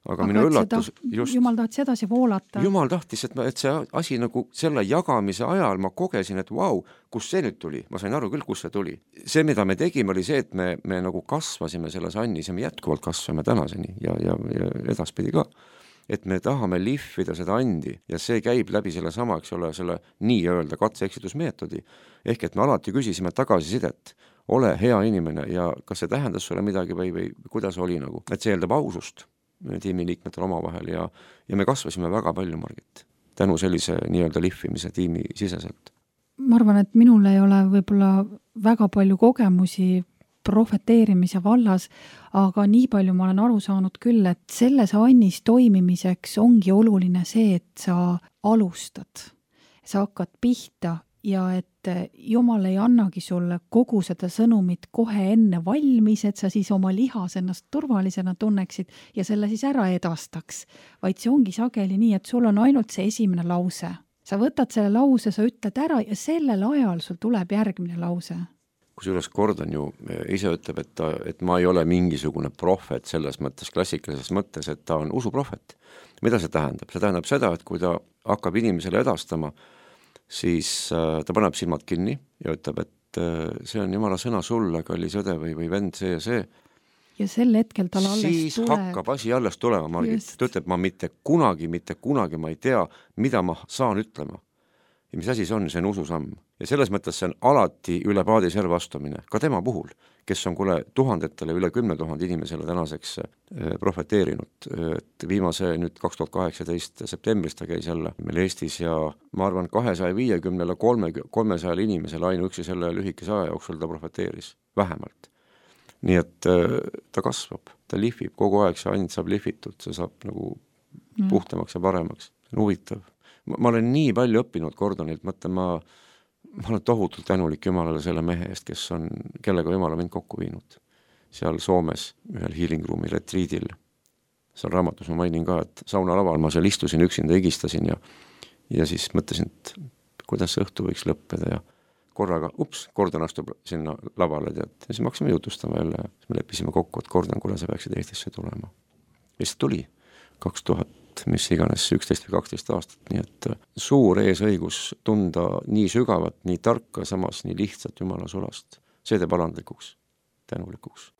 Aga, aga minu üllatus taht, just, Jumal tahtis edasi voolata. Jumal tahtis, et, ma, et see asi nagu selle jagamise ajal ma kogesin, et vau, kus see nüüd tuli? Ma sain aru küll, kus see tuli. See, mida me tegime, oli see, et me, me nagu kasvasime selles annis ja me jätkuvalt kasvame tänaseni ja, ja, ja edaspidi ka. Et me tahame lihvida seda andi ja see käib läbi selle sama, eks ole, selle nii-öelda katse-eksitusmeetodi. Ehk et me alati küsisime tagasisidet, ole hea inimene ja kas see tähendas sulle midagi või, või kuidas oli nagu, et see eeldab ausust tiimiliikmetel oma vahel ja, ja me kasvasime väga palju, Margit, tänu sellise nii-öelda lihvimise tiimi siseselt. Ma arvan, et minul ei ole võib-olla väga palju kogemusi profeteerimise vallas, aga nii palju ma olen aru saanud küll, et selles annis toimimiseks ongi oluline see, et sa alustad, sa hakkad pihta ja et Jumal ei annagi sulle kogu seda sõnumit kohe enne valmis, et sa siis oma lihas ennast turvalisena tunneksid ja selle siis ära edastaks, vaid see ongi sageli nii, et sul on ainult see esimene lause. Sa võtad selle lause, sa ütled ära ja sellel ajal sul tuleb järgmine lause. Kusjuures Gordon ju ise ütleb, et, ta, et ma ei ole mingisugune prohvet selles mõttes, klassikalises mõttes, et ta on usuprohvet. Mida see tähendab? See tähendab seda, et kui ta hakkab inimesele edastama, siis äh, ta paneb silmad kinni ja ütleb, et äh, see on Jumala sõna sulle, kallis õde või, või vend, see ja see. Ja sel hetkel tal alles siis tuleb. hakkab asi alles tulema, Margit. Ta ütleb, ma mitte kunagi, mitte kunagi ma ei tea, mida ma saan ütlema. Ja mis asi see on, see on ususamm. Ja selles mõttes see on alati üle paadi serva astumine, ka tema puhul, kes on kuule tuhandetele, üle kümne tuhande inimesele tänaseks äh, profeteerinud. Et viimase nüüd kaks tuhat kaheksateist septembrist ta käis jälle meil Eestis ja ma arvan kahesaja viiekümnele kolmesajale inimesele ainuüksi selle lühikese aja jooksul ta profeteeris, vähemalt. Nii et äh, ta kasvab, ta lihvib, kogu aeg see and saab lihvitud, see saab nagu mm. puhtamaks ja paremaks, see on huvitav. Ma, ma olen nii palju õppinud Gordonilt, mõtlen, ma, ma olen tohutult tänulik Jumalale selle mehe eest, kes on, kellega Jumala mind kokku viinud. Seal Soomes ühel healing room'i retriidil. Seal raamatus ma mainin ka, et sauna laval ma seal istusin, üksinda igistasin ja, ja siis mõtlesin, et kuidas see õhtu võiks lõppeda ja korraga, ups, Gordon astub sinna lavale tead. Ja siis me hakkasime jutustama jälle ja me leppisime kokku, et Gordon, kuule sa peaksid Eestisse tulema. Ja siis tuli kaks tuhat mis iganes üksteist või kaksteist aastat, nii et suur eesõigus tunda nii sügavat, nii tarka, samas nii lihtsat Jumala sulast. See teeb alandlikuks, tänulikuks.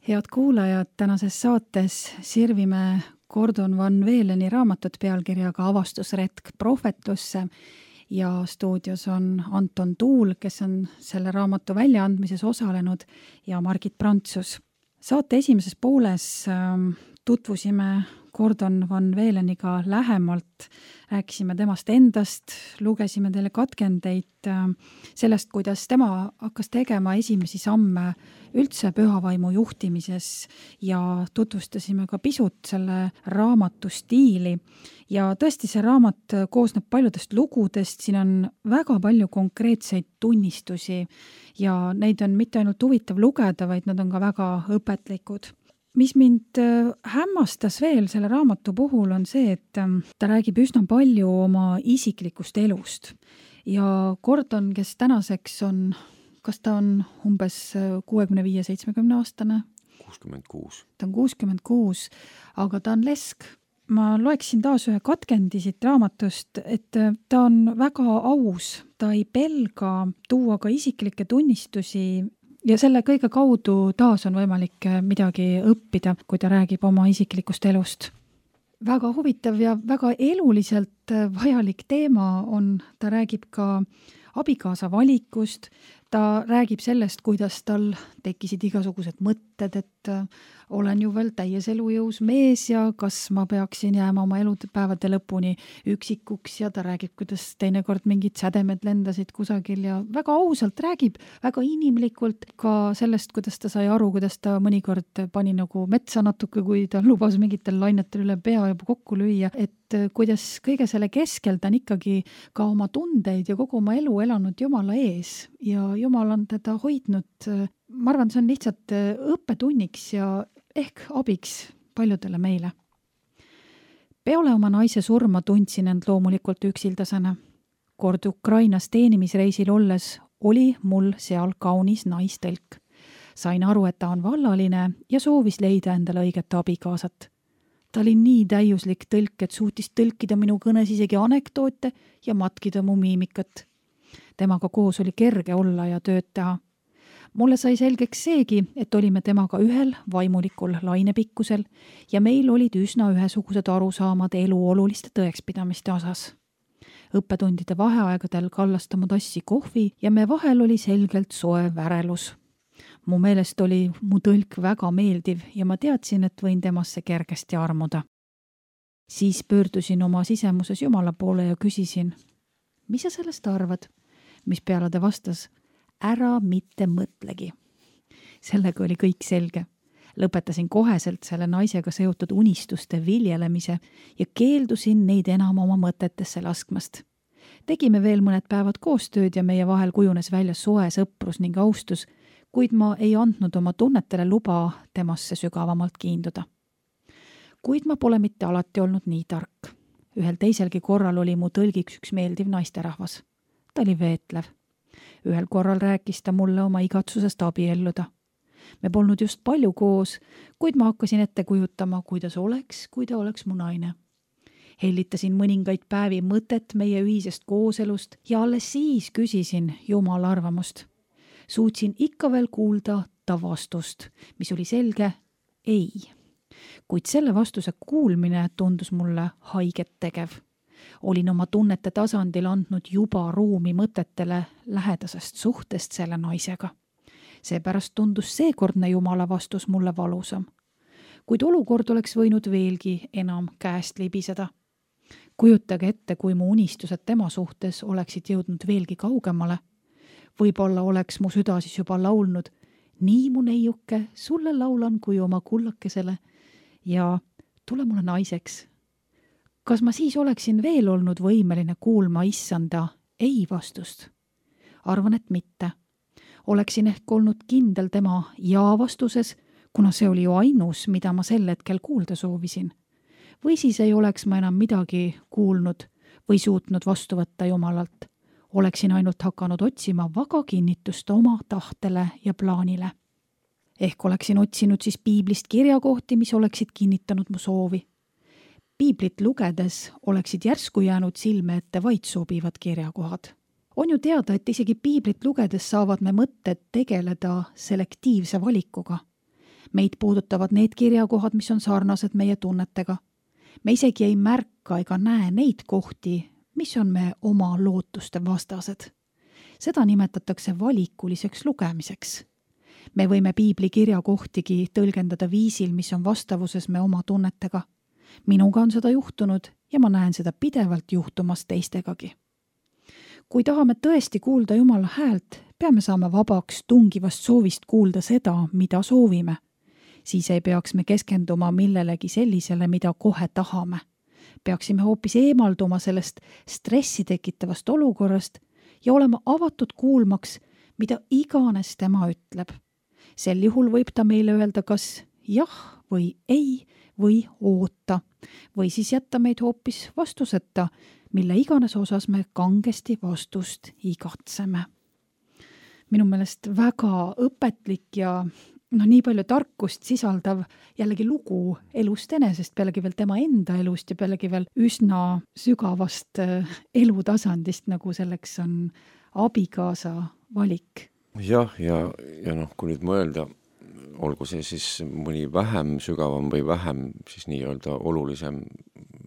Head kuulajad, tänases saates sirvime Gordon Van Veleni raamatut pealkirjaga Avastusretk prohvetlusse ja stuudios on Anton Tuul, kes on selle raamatu väljaandmises osalenud, ja Margit Prantsus. Saate esimeses pooles tutvusime Gordon Van Veleniga lähemalt, rääkisime temast endast, lugesime teile katkendeid sellest, kuidas tema hakkas tegema esimesi samme üldse pühavaimu juhtimises ja tutvustasime ka pisut selle raamatu stiili. Ja tõesti, see raamat koosneb paljudest lugudest, siin on väga palju konkreetseid tunnistusi ja neid on mitte ainult huvitav lugeda, vaid nad on ka väga õpetlikud. Mis mind hämmastas veel selle raamatu puhul on see, et ta räägib üsna palju oma isiklikust elust. Ja Gordon, kes tänaseks on, kas ta on umbes kuuekümne viie seitsmekümne aastane? kuuskümmend kuus. Ta on kuuskümmend kuus, aga ta on lesk. Ma loeksin taas ühe katkendi siit raamatust, et ta on väga aus. Ta ei pelga tuua ka isiklikke tunnistusi ja selle kõige kaudu taas on võimalik midagi õppida, kui ta räägib oma isiklikust elust. Väga huvitav ja väga eluliselt vajalik teema on, ta räägib ka abikaasa valikust, ta räägib sellest, kuidas tal tekkisid igasugused mõtted, et olen ju veel täies elujõus mees ja kas ma peaksin jääma oma elupäevade lõpuni üksikuks, ja ta räägib, kuidas teinekord mingid sädemed lendasid kusagil ja väga ausalt räägib, väga inimlikult ka sellest, kuidas ta sai aru, kuidas ta mõnikord pani nagu metsa natuke, kui ta lubas mingitel lainetel üle pea juba kokku lüüa, et kuidas kõige selle keskel ta on ikkagi ka oma tundeid ja kogu oma elu elanud Jumala ees ja Jumal on teda hoidnud. Ma arvan, see on lihtsalt õppetunniks ja ehk abiks paljudele meile. Peole oma naise surma tundsin end loomulikult üksildasena. Kord Ukrainas teenimisreisil olles oli mul seal kaunis naistõlk. Sain aru, et ta on vallaline ja soovis leida endale õiget abikaasat. Ta oli nii täiuslik tõlk, et suutis tõlkida minu kõnes isegi anekdoote ja matkida mu miimikat. Temaga koos oli kerge olla ja tööd teha. Mulle sai selgeks seegi, et olime temaga ühel vaimulikul lainepikkusel ja meil olid üsna ühesugused arusaamad elu oluliste tõekspidamiste osas. Õppetundide vaheaegadel kallas ta mu tassi kohvi ja me vahel oli selgelt soe värelus. Mu meelest oli mu tõlk väga meeldiv ja ma teadsin, et võin temasse kergesti armuda. Siis pöördusin oma sisemuses Jumala poole ja küsisin, mis sa sellest arvad? Mis peale ta vastas, ära mitte mõtlegi. Sellega oli kõik selge. Lõpetasin koheselt selle naisega seotud unistuste viljelemise ja keeldusin neid enam oma mõtetesse laskmast. Tegime veel mõned päevad koostööd ja meie vahel kujunes välja soe sõprus ning austus, kuid ma ei andnud oma tunnetele luba temasse sügavamalt kiinduda. Kuid ma pole mitte alati olnud nii tark. Ühel teiselgi korral oli mu tõlgiks üks meeldiv naisterahvas. Ta oli veetlev. Ühel korral rääkis ta mulle oma igatsusest abielluda. Me polnud just palju koos, kuid ma hakkasin ette kujutama, kuidas oleks, kui ta oleks mu naine. Hellitasin mõningaid päevi mõtet meie ühisest kooselust ja alles siis küsisin Jumala arvamust. Suutsin ikka veel kuulda ta vastust, mis oli selge ei. Kuid selle vastuse kuulmine tundus mulle haiget tegev. Olin oma tunnete tasandil andnud juba ruumi mõtetele lähedasest suhtest selle naisega. Seepärast tundus seekordne Jumala vastus mulle valusam. Kuid olukord oleks võinud veelgi enam käest libiseda. Kujutage ette, kui mu unistused tema suhtes oleksid jõudnud veelgi kaugemale. Võib-olla oleks mu süda siis juba laulnud, nii mu neiuke, sulle laulan kui oma kullakesele ja tule mulle naiseks. Kas ma siis oleksin veel olnud võimeline kuulma issanda ei vastust? Arvan, et mitte. Oleksin ehk olnud kindel tema ja vastuses, kuna see oli ju ainus, mida ma sel hetkel kuulda soovisin. Või siis ei oleks ma enam midagi kuulnud või suutnud vastu võtta Jumalalt. Oleksin ainult hakanud otsima vaga kinnitust oma tahtele ja plaanile. Ehk oleksin otsinud siis piiblist kirjakohti, mis oleksid kinnitanud mu soovi. Piiblit lugedes oleksid järsku jäänud silme ette vaid sobivad kirjakohad. On ju teada, et isegi piiblit lugedes saavad me mõtted tegeleda selektiivse valikuga. Meid puudutavad need kirjakohad, mis on sarnased meie tunnetega. Me isegi ei märka ega näe neid kohti, mis on me oma lootuste vastased. Seda nimetatakse valikuliseks lugemiseks. Me võime piibli kirjakohtigi tõlgendada viisil, mis on vastavuses me oma tunnetega. Minuga on seda juhtunud ja ma näen seda pidevalt juhtumas teistegagi. Kui tahame tõesti kuulda Jumala häält, peame saama vabaks tungivast soovist kuulda seda, mida soovime. Siis ei peaks me keskenduma millelegi sellisele, mida kohe tahame. Peaksime hoopis eemalduma sellest stressi tekitavast olukorrast ja olema avatud kuulmaks, mida iganes tema ütleb. Sel juhul võib ta meile öelda kas jah või ei või oota või siis jätta meid hoopis vastuseta, mille iganes osas me kangesti vastust igatseme. Minu meelest väga õpetlik ja no nii palju tarkust sisaldav jällegi lugu elust enesest, pealegi veel tema enda elust ja pealegi veel üsna sügavast elutasandist, nagu selleks on abikaasa valik. Jah, ja, ja noh, kui nüüd mõelda, olgu see siis mõni vähem sügavam või vähem siis nii-öelda olulisem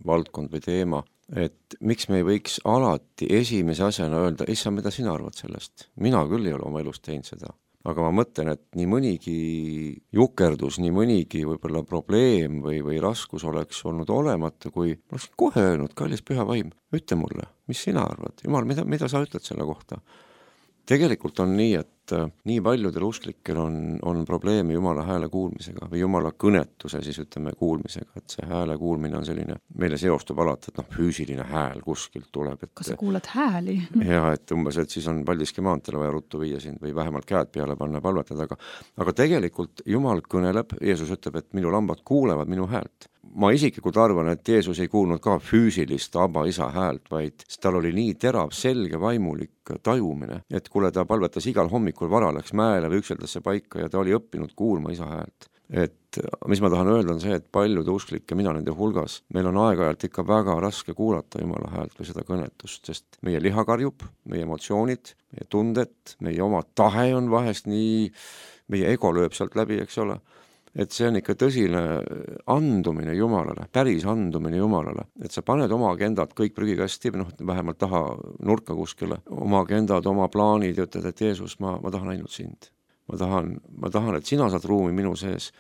valdkond või teema, et miks me ei võiks alati esimese asjana öelda, issa, mida sina arvad sellest? Mina küll ei ole oma elust teinud seda. Aga ma mõtlen, et nii mõnigi jukerdus, nii mõnigi võib-olla probleem või, või raskus oleks olnud olemata, kui ma oleks kohe öelnud, kallis püha vaim, ütle mulle, mis sina arvad? Jumal, mida, mida sa ütled selle kohta? Tegelikult on nii, et nii paljudel usklikel on, on probleeme Jumala hääle kuulmisega või Jumala kõnetuse siis ütleme kuulmisega, et see hääle kuulmine on selline, meile seostub alati, et noh, füüsiline hääl kuskilt tuleb. Et, kas sa kuulad hääli? Ja, et umbes, et siis on Paldiski maantele vaja ruttu viia sind või vähemalt käed peale panna palvetada, aga, aga tegelikult Jumal kõneleb, Jeesus ütleb, et minu lambad kuulevad minu häält. Ma isiklikult arvan, et Jeesus ei kuulnud ka füüsilist aba isa häält, vaid tal oli nii terav, selge, vaimulik tajumine, et kuule ta palvetas igal hommikul vara, läks mäele või ükseldasse paika ja ta oli õppinud kuulma isa häält. Et mis ma tahan öelda on see, et paljude usklikke, mina nende hulgas, meil on aeg-ajalt ikka väga raske kuulata Jumala häält või seda kõnetust, sest meie liha karjub, meie emotsioonid, meie tunded, meie oma tahe on vahest nii, meie ego lööb sealt läbi, eks ole. Et see on ikka tõsine andumine Jumalale, päris andumine Jumalale, et sa paned oma agendad kõik prügikasti, noh, vähemalt taha nurka kuskile, oma agendad, oma plaanid ja ütled, et Jeesus, ma, ma tahan ainult sind. Ma tahan, ma tahan, et sina saad ruumi minu sees.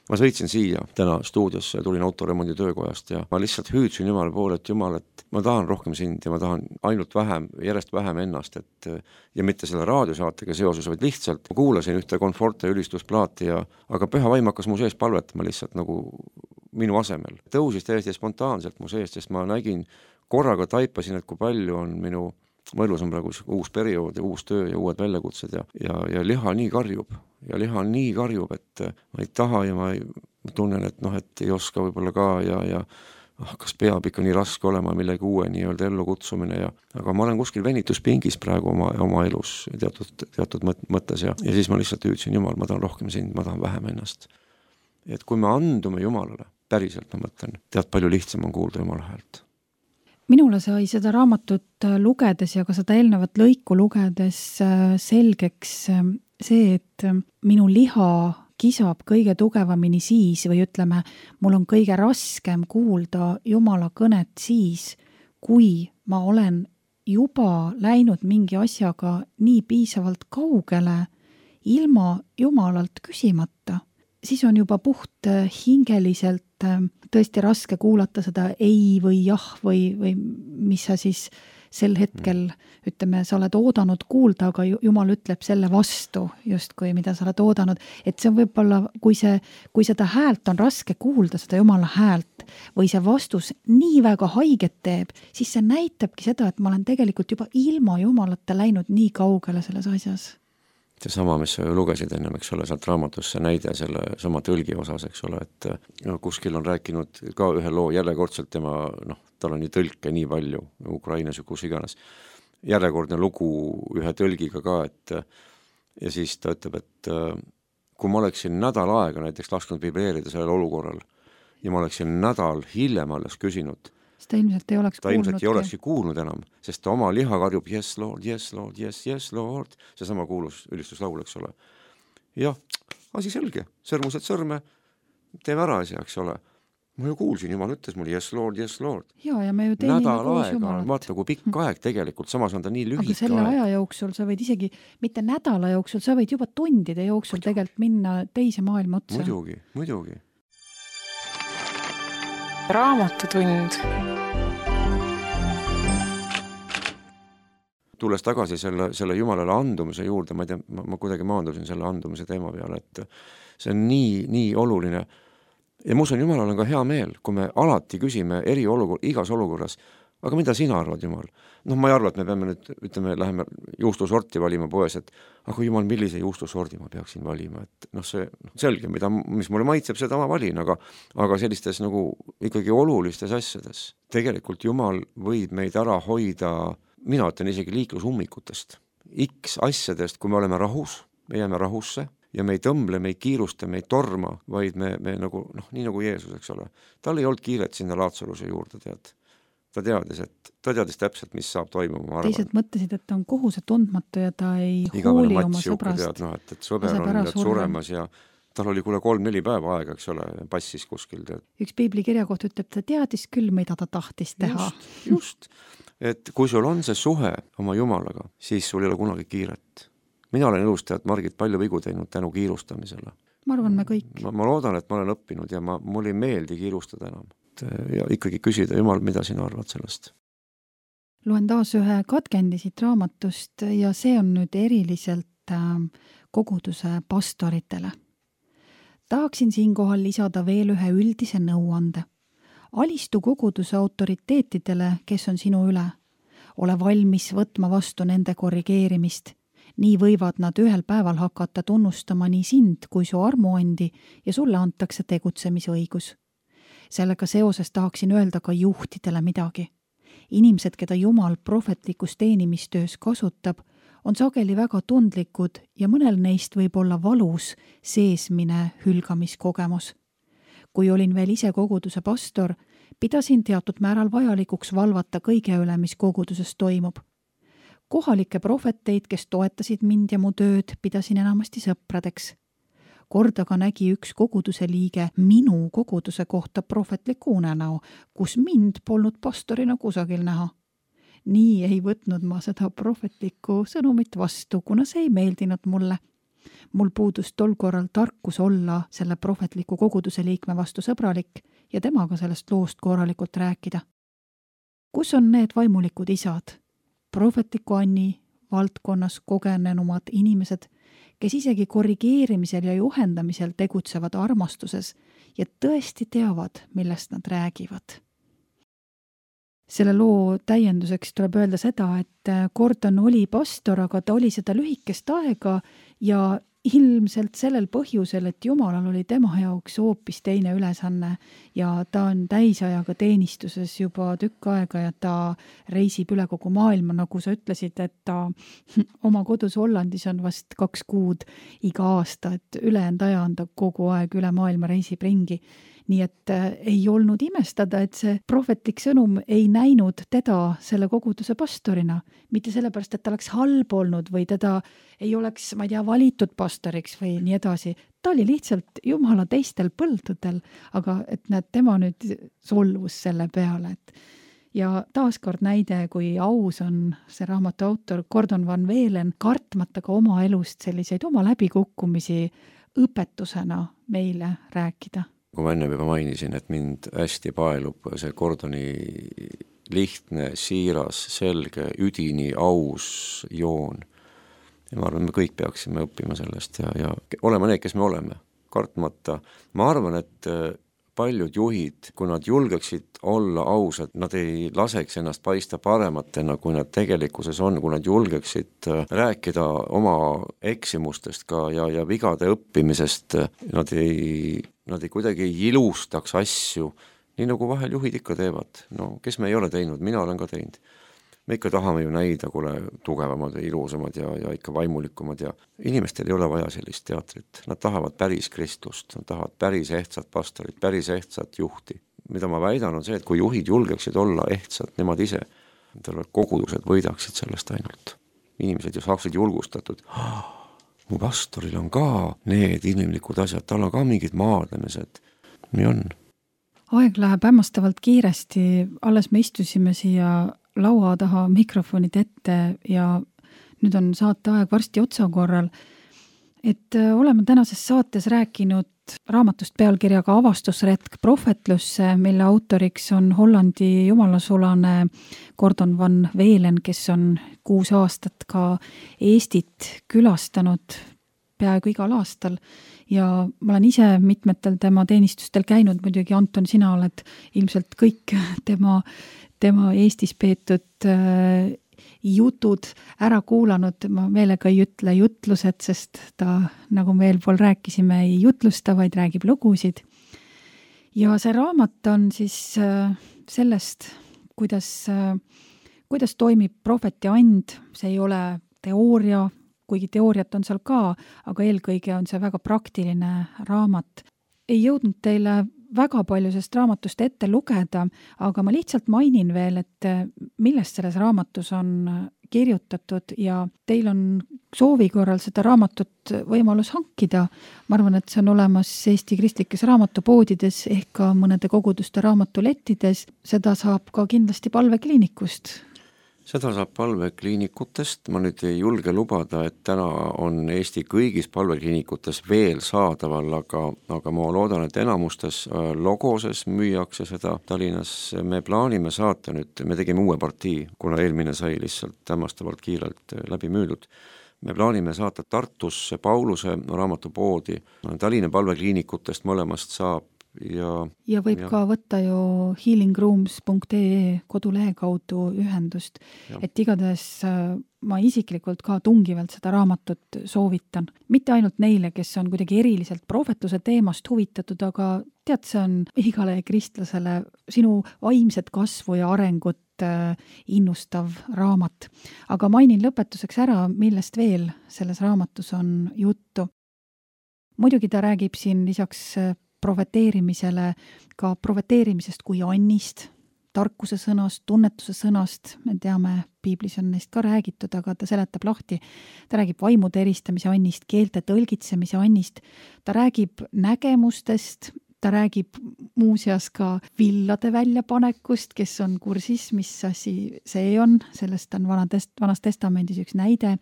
Ma sõitsin siia täna stuudiosse ja tulin autoremondi töökojast ja ma lihtsalt hüüdsin Jumala poole, et Jumal, et ma tahan rohkem sind ja ma tahan ainult vähem, järjest vähem ennast, et ja mitte selle raadiosaatega seoses, vaid lihtsalt ma kuulasin ühte Conforte ülistusplaati ja aga püha vaim hakkas mu sees palvetama lihtsalt nagu minu asemel. Tõusis täiesti spontaanselt mu sees, sest ma nägin, korraga taipasin, et kui palju on minu mu elus on praegu uus periood ja uus töö ja uued väljakutsed ja, ja, ja liha nii karjub ja liha nii karjub, et ma ei taha ja ma, ei, ma tunnen, et noh, et ei oska võib-olla ka ja, ja ah, kas peab ikka nii raske olema millegi uue nii-öelda ellu kutsumine ja aga ma olen kuskil venituspingis praegu oma, oma elus teatud, teatud mõttes ja, ja siis ma lihtsalt hüüdsin, Jumal, ma tahan rohkem sind, ma tahan vähem ennast. Et kui me andume Jumalale, päriselt ma mõtlen, tead palju lihtsam on kuulda Jumala häält. Minule sai seda raamatut lugedes ja ka seda eelnevat lõiku lugedes selgeks see, et minu liha kisab kõige tugevamini siis või ütleme, mul on kõige raskem kuulda Jumala kõnet siis, kui ma olen juba läinud mingi asjaga nii piisavalt kaugele ilma Jumalalt küsimata. Siis on juba puht hingeliselt tõesti raske kuulata seda ei või jah või, või mis sa siis sel hetkel, ütleme, sa oled oodanud kuulda, aga Jumal ütleb selle vastu justkui, mida sa oled oodanud. Et see on võib-olla, kui, see, kui seda häält on raske kuulda, seda Jumala häält, või see vastus nii väga haiget teeb, siis see näitabki seda, et ma olen tegelikult juba ilma Jumalata läinud nii kaugele selles asjas. See sama, mis sa lugesid ennem, eks ole, sealt raamatusse näide selle sama tõlgi osas, eks ole, et no, kuskil on rääkinud ka ühe loo järjekordselt tema, noh, tal on nii tõlke nii palju Ukrainas ja kus iganes. Järjekordne lugu ühe tõlgiga ka, et ja siis ta ütleb, et kui ma oleksin nädal aega näiteks lasknud vibreerida sellel olukorral ja ma oleksin nädal hiljem alles küsinud, ta ilmselt ei oleks ta kuulnud. ilmselt ei olekski kuulnud enam, sest ta oma liha karjub yes Lord, yes Lord, yes, yes Lord, see sama kuulus ülistuslaul, eks ole. Jah, asi selge, sõrmused sõrme, teeme ära asja, eks ole. Ma ju kuulsin, Jumal ütles mulle, yes Lord, yes Lord. Ja, ja me ju teenime nädal koos aega, Jumalat. vaata kui pikk aeg tegelikult, samas on ta nii lühike aga selle aeg. aja jooksul sa võid isegi, mitte nädala jooksul, sa võid juba tundide jooksul muidugi. Tegelikult minna teise maailma otsa. Muidugi, muidugi. Raamatutund. Tulles tagasi selle, selle Jumalale andumise juurde, ma ei tea, ma, ma kuidagi maandusin selle andumise teema peale, et see on nii, nii oluline. Ja ma usun, Jumalal on ka hea meel, kui me alati küsime eri olukor, igas olukorras, aga mida sina arvad, Jumal? Noh, ma ei arva, et me peame nüüd, ütleme, läheme juustusorti valima poes, et aga Jumal, millise juustusordi ma peaksin valima, et noh, see selge, mida, mis mulle maitseb, seda ma valin, aga, aga sellistes nagu ikkagi olulistes asjades. Tegelikult Jumal võib meid ära hoida, mina ütlen isegi liiklusummikutest, X asjadest, kui me oleme rahus, me jääme rahusse, ja me ei tõmble, me ei kiirusta, me ei torma, vaid me, me nagu, noh, nii nagu Jeesus, eks ole. Tal ei olnud kiiret sinna Laatsaluse juurde, tead. Ta teadis, et ta teadis täpselt, mis saab toimuma, ma arvan. Teised mõtlesid, et ta on kohuse tundmatu ja ta ei Igavene hooli oma sõbrast. Tead, no, et, et sõber on tead, suremas ja tal oli kuule kolm-neli päeva aega, eks ole, passis kuskil. Tead. Üks piibli kirja kohta ütleb, ta teadis küll, mida ta tahtis teha. Just, just. Et kui sul on see suhe oma Jumalaga, siis sul ei ole kunagi kiiret. Mina olen elus tead Margit palju vigu teinud tänu kiirustamisele. Ma arvan, me kõik. Ma, ma loodan, et ma olen õppinud ja ma, mul ei meeldi kiirustada enam. Ja ikkagi küsida, Jumal, mida sina arvad sellest? Loen taas ühe katkendi siit raamatust ja see on nüüd eriliselt koguduse pastoritele. Tahaksin siinkohal lisada veel ühe üldise nõuande. Alistu koguduse autoriteetidele, kes on sinu üle. Ole valmis võtma vastu nende korrigeerimist. Nii võivad nad ühel päeval hakata tunnustama nii sind kui su armuandi ja sulle antakse tegutsemisõigus. Sellega seoses tahaksin öelda ka juhtidele midagi. Inimesed, keda Jumal prohvetlikus teenimistöös kasutab, on sageli väga tundlikud ja mõnel neist võib olla valus seesmine hülgamiskogemus. Kui olin veel ise koguduse pastor, pidasin teatud määral vajalikuks valvata kõige üle, mis koguduses toimub. Kohalikke prohveteid, kes toetasid mind ja mu tööd, pidasin enamasti sõpradeks. Kord aga nägi üks koguduse liige minu koguduse kohta prohvetliku unenäo, kus mind polnud pastorina kusagil näha. Nii ei võtnud ma seda prohvetlikku sõnumit vastu, kuna see ei meeldinud mulle. Mul puudus tol korral tarkus olla selle prohvetliku koguduse liikme vastu sõbralik ja temaga sellest loost korralikult rääkida. Kus on need vaimulikud isad? Prohvetliku Anni valdkonnas kogenenumad inimesed, kes isegi korrigeerimisel ja juhendamisel tegutsevad armastuses ja tõesti teavad, millest nad räägivad. Selle loo täienduseks tuleb öelda seda, et Gordon oli pastor, aga ta oli seda lühikest aega ja ilmselt sellel põhjusel, et Jumalal oli tema jaoks hoopis teine ülesanne ja ta on täisajaga teenistuses juba tükk aega ja ta reisib üle kogu maailma, nagu sa ütlesid, et ta oma kodus Hollandis on vast kaks kuud iga aasta, et ülejäänud aja on ta kogu aeg üle maailma reisib ringi. Nii et ei olnud imestada, et see prohvetlik sõnum ei näinud teda selle koguduse pastorina. Mitte sellepärast, et ta oleks halb olnud või teda ei oleks, ma ei tea, valitud pastoriks või nii edasi. Ta oli lihtsalt Jumala teistel põldudel, aga et näed, tema nüüd solvus selle peale. Et ja taaskord näide, kui aus on see raamatu autor Gordon Van Velen, kartmata ka oma elust selliseid oma läbikukkumisi õpetusena meile rääkida. Kui ma enne juba mainisin, et mind hästi paelub see Gordoni lihtne, siiras, selge, üdini, aus joon. Ja ma arvan, me kõik peaksime õppima sellest ja, ja olema need, kes me oleme, kartmata. Ma arvan, et paljud juhid, kui nad julgeksid olla ausad, nad ei laseks ennast paista parematena, kui nad tegelikkuses on, kui nad julgeksid rääkida oma eksimustest ka ja, ja vigade õppimisest, nad ei, nad ei kuidagi ei ilustaks asju, nii nagu vahel juhid ikka teevad. No, kes me ei ole teinud, mina olen ka teinud. Me ikka tahame ju näida, kuule, tugevamad ja ilusamad ja, ja ikka vaimulikumad ja inimestel ei ole vaja sellist teatrit. Nad tahavad päris kristlust, nad tahavad päris ehtsat pastorit, päris ehtsat juhti. Mida ma väidan on see, et kui juhid julgeksid olla ehtsad, nemad ise, kogudused võidaksid sellest ainult. Inimesed ju saaksid julgustatud. mu pastoril on ka need inimlikud asjad, tal on ka mingid maadlemised. Nii on. Aeg läheb hämmastavalt kiiresti, alles me istusime siia laua taha mikrofonid ette ja nüüd on saate aeg varsti otsakorral, et oleme tänases saates rääkinud raamatust pealkirjaga Avastusretk prohvetlusse, mille autoriks on Hollandi jumalasulane Gordon van Velen, kes on kuus aastat ka Eestit külastanud peaaegu igal aastal ja ma olen ise mitmetel tema teenistustel käinud, muidugi Anton, sina oled ilmselt kõik tema, tema Eestis peetud äh, jutud ära kuulanud, ma meelega ei ütle jutlused, sest ta, nagu me eelpool rääkisime, ei jutlusta, vaid räägib lugusid. Ja see raamat on siis sellest, kuidas, kuidas toimib prohveti and, see ei ole teooria, kuigi teooriat on seal ka, aga eelkõige on see väga praktiline raamat. Ei jõudnud teile väga palju sellest raamatust ette lugeda, aga ma lihtsalt mainin veel, et millest selles raamatus on kirjutatud ja teil on soovi korral seda raamatut võimalus hankida. Ma arvan, et see on olemas Eesti kristlikes raamatupoodides ehk ka mõnede koguduste raamatulettides. Seda saab ka kindlasti palvekliinikust. Seda saab palvekliinikutest, ma nüüd ei julge lubada, et täna on Eesti kõigis palvekliinikutes veel saadaval, aga, aga ma loodan, et enamustes Logoses müüakse seda Tallinnas. Me plaanime saata nüüd, me tegime uue partii, kuna eelmine sai lihtsalt hämmastavalt kiirelt läbi müüdud. Me plaanime saata Tartusse Pauluse raamatupoodi, Tallinna palvekliinikutest mõlemast saab. Ja, ja võib ja. ka võtta ju healing rooms punkt e e kodulehe kaudu ühendust, ja. Et igatahes ma isiklikult ka tungivalt seda raamatut soovitan. Mitte ainult neile, kes on kuidagi eriliselt prohvetluse teemast huvitatud, aga tead, see on igale kristlasele sinu vaimset kasvu ja arengut innustav raamat. Aga mainin lõpetuseks ära, millest veel selles raamatus on juttu. Muidugi ta räägib siin lisaks prohveteerimisele, ka prohveteerimisest kui annist, tarkuse sõnast, tunnetuse sõnast, me teame, piiblis on neist ka räägitud, aga ta seletab lahti. Ta räägib vaimude eristamise annist, keelte tõlgitsemise annist, ta räägib nägemustest, ta räägib muuseas ka villade väljapanekust, kes on kursis, mis asi see on, sellest on vanas, vanas testamendis üks näide.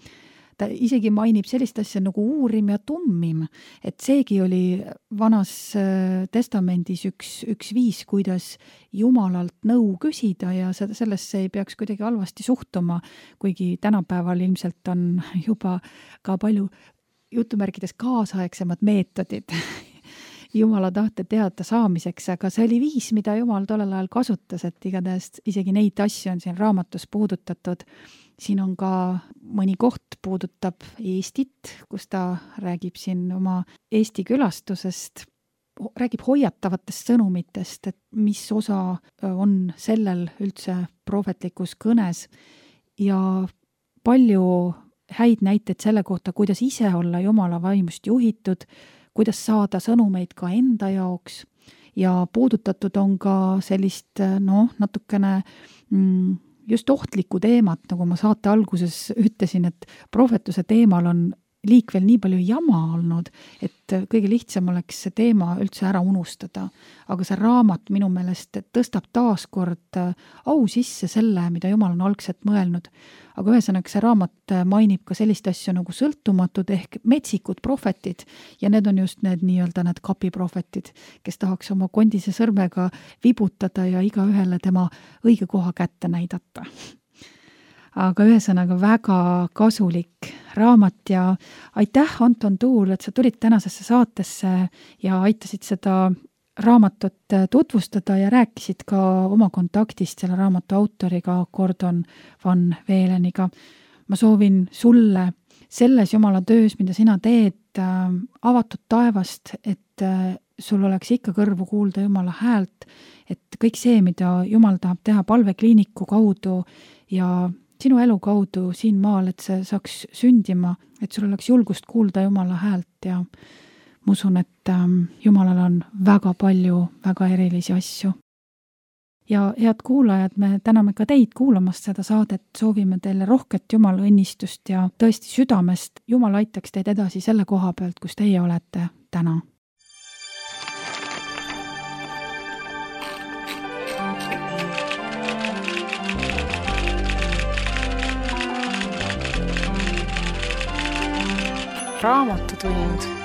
Ta isegi mainib sellist asja nagu uurim ja tummim, et seegi oli vanas testamendis üks, üks viis, kuidas Jumalalt nõu küsida ja sellesse ei peaks kuidagi halvasti suhtuma, kuigi tänapäeval ilmselt on juba ka palju jutumärkides kaasaegsemad meetodid Jumala tahte teada saamiseks, aga see oli viis, mida Jumal tollel ajal kasutas, et igatahes isegi neid asju on siin raamatus puudutatud. Siin on ka mõni koht puudutab Eestit, kus ta räägib siin oma Eesti külastusest, räägib hoiatavatest sõnumitest, et mis osa on sellel üldse prohvetlikus kõnes ja palju häid näiteid selle kohta, kuidas ise olla Jumala vaimust juhitud, kuidas saada sõnumeid ka enda jaoks ja puudutatud on ka sellist noh, natukene mm, just ohtlikku teemat, nagu ma saate alguses ütlesin, et prohvetluse teemal on liikvel nii palju jama olnud, et kõige lihtsam oleks see teema üldse ära unustada. Aga see raamat minu meelest tõstab taas kord au sisse selle, mida Jumal on algselt mõelnud. Aga ühesõnaga see raamat mainib ka sellist asju nagu sõltumatud ehk metsikud prohvetid ja need on just need nii-öelda need kapiprohvetid, kes tahaks oma kondise sõrmega vibutada ja iga ühele tema õige koha kätte näidata. Aga ühesõnaga väga kasulik raamat ja aitäh, Anton Tuul, et sa tulid tänasesse saatesse ja aitasid seda raamatut tutvustada ja rääkisid ka oma kontaktist selle raamatu autoriga Gordon van Veleniga. Ma soovin sulle selles Jumala töös, mida sina teed, avatud taevast, et sul oleks ikka kõrvu kuulda Jumala häält, et kõik see, mida Jumal tahab teha palvekliiniku kaudu ja sinu elu kaudu siin maal, et see saaks sündima, et sul oleks julgust kuulda Jumala häält ja ma usun, et Jumalal on väga palju väga erilisi asju ja head kuulajad, me täname ka teid kuulamast seda saadet, soovime teile rohket Jumala õnnistust ja tõesti südamest Jumal aitaks teid edasi selle koha pealt, kus teie olete täna. Raamatutund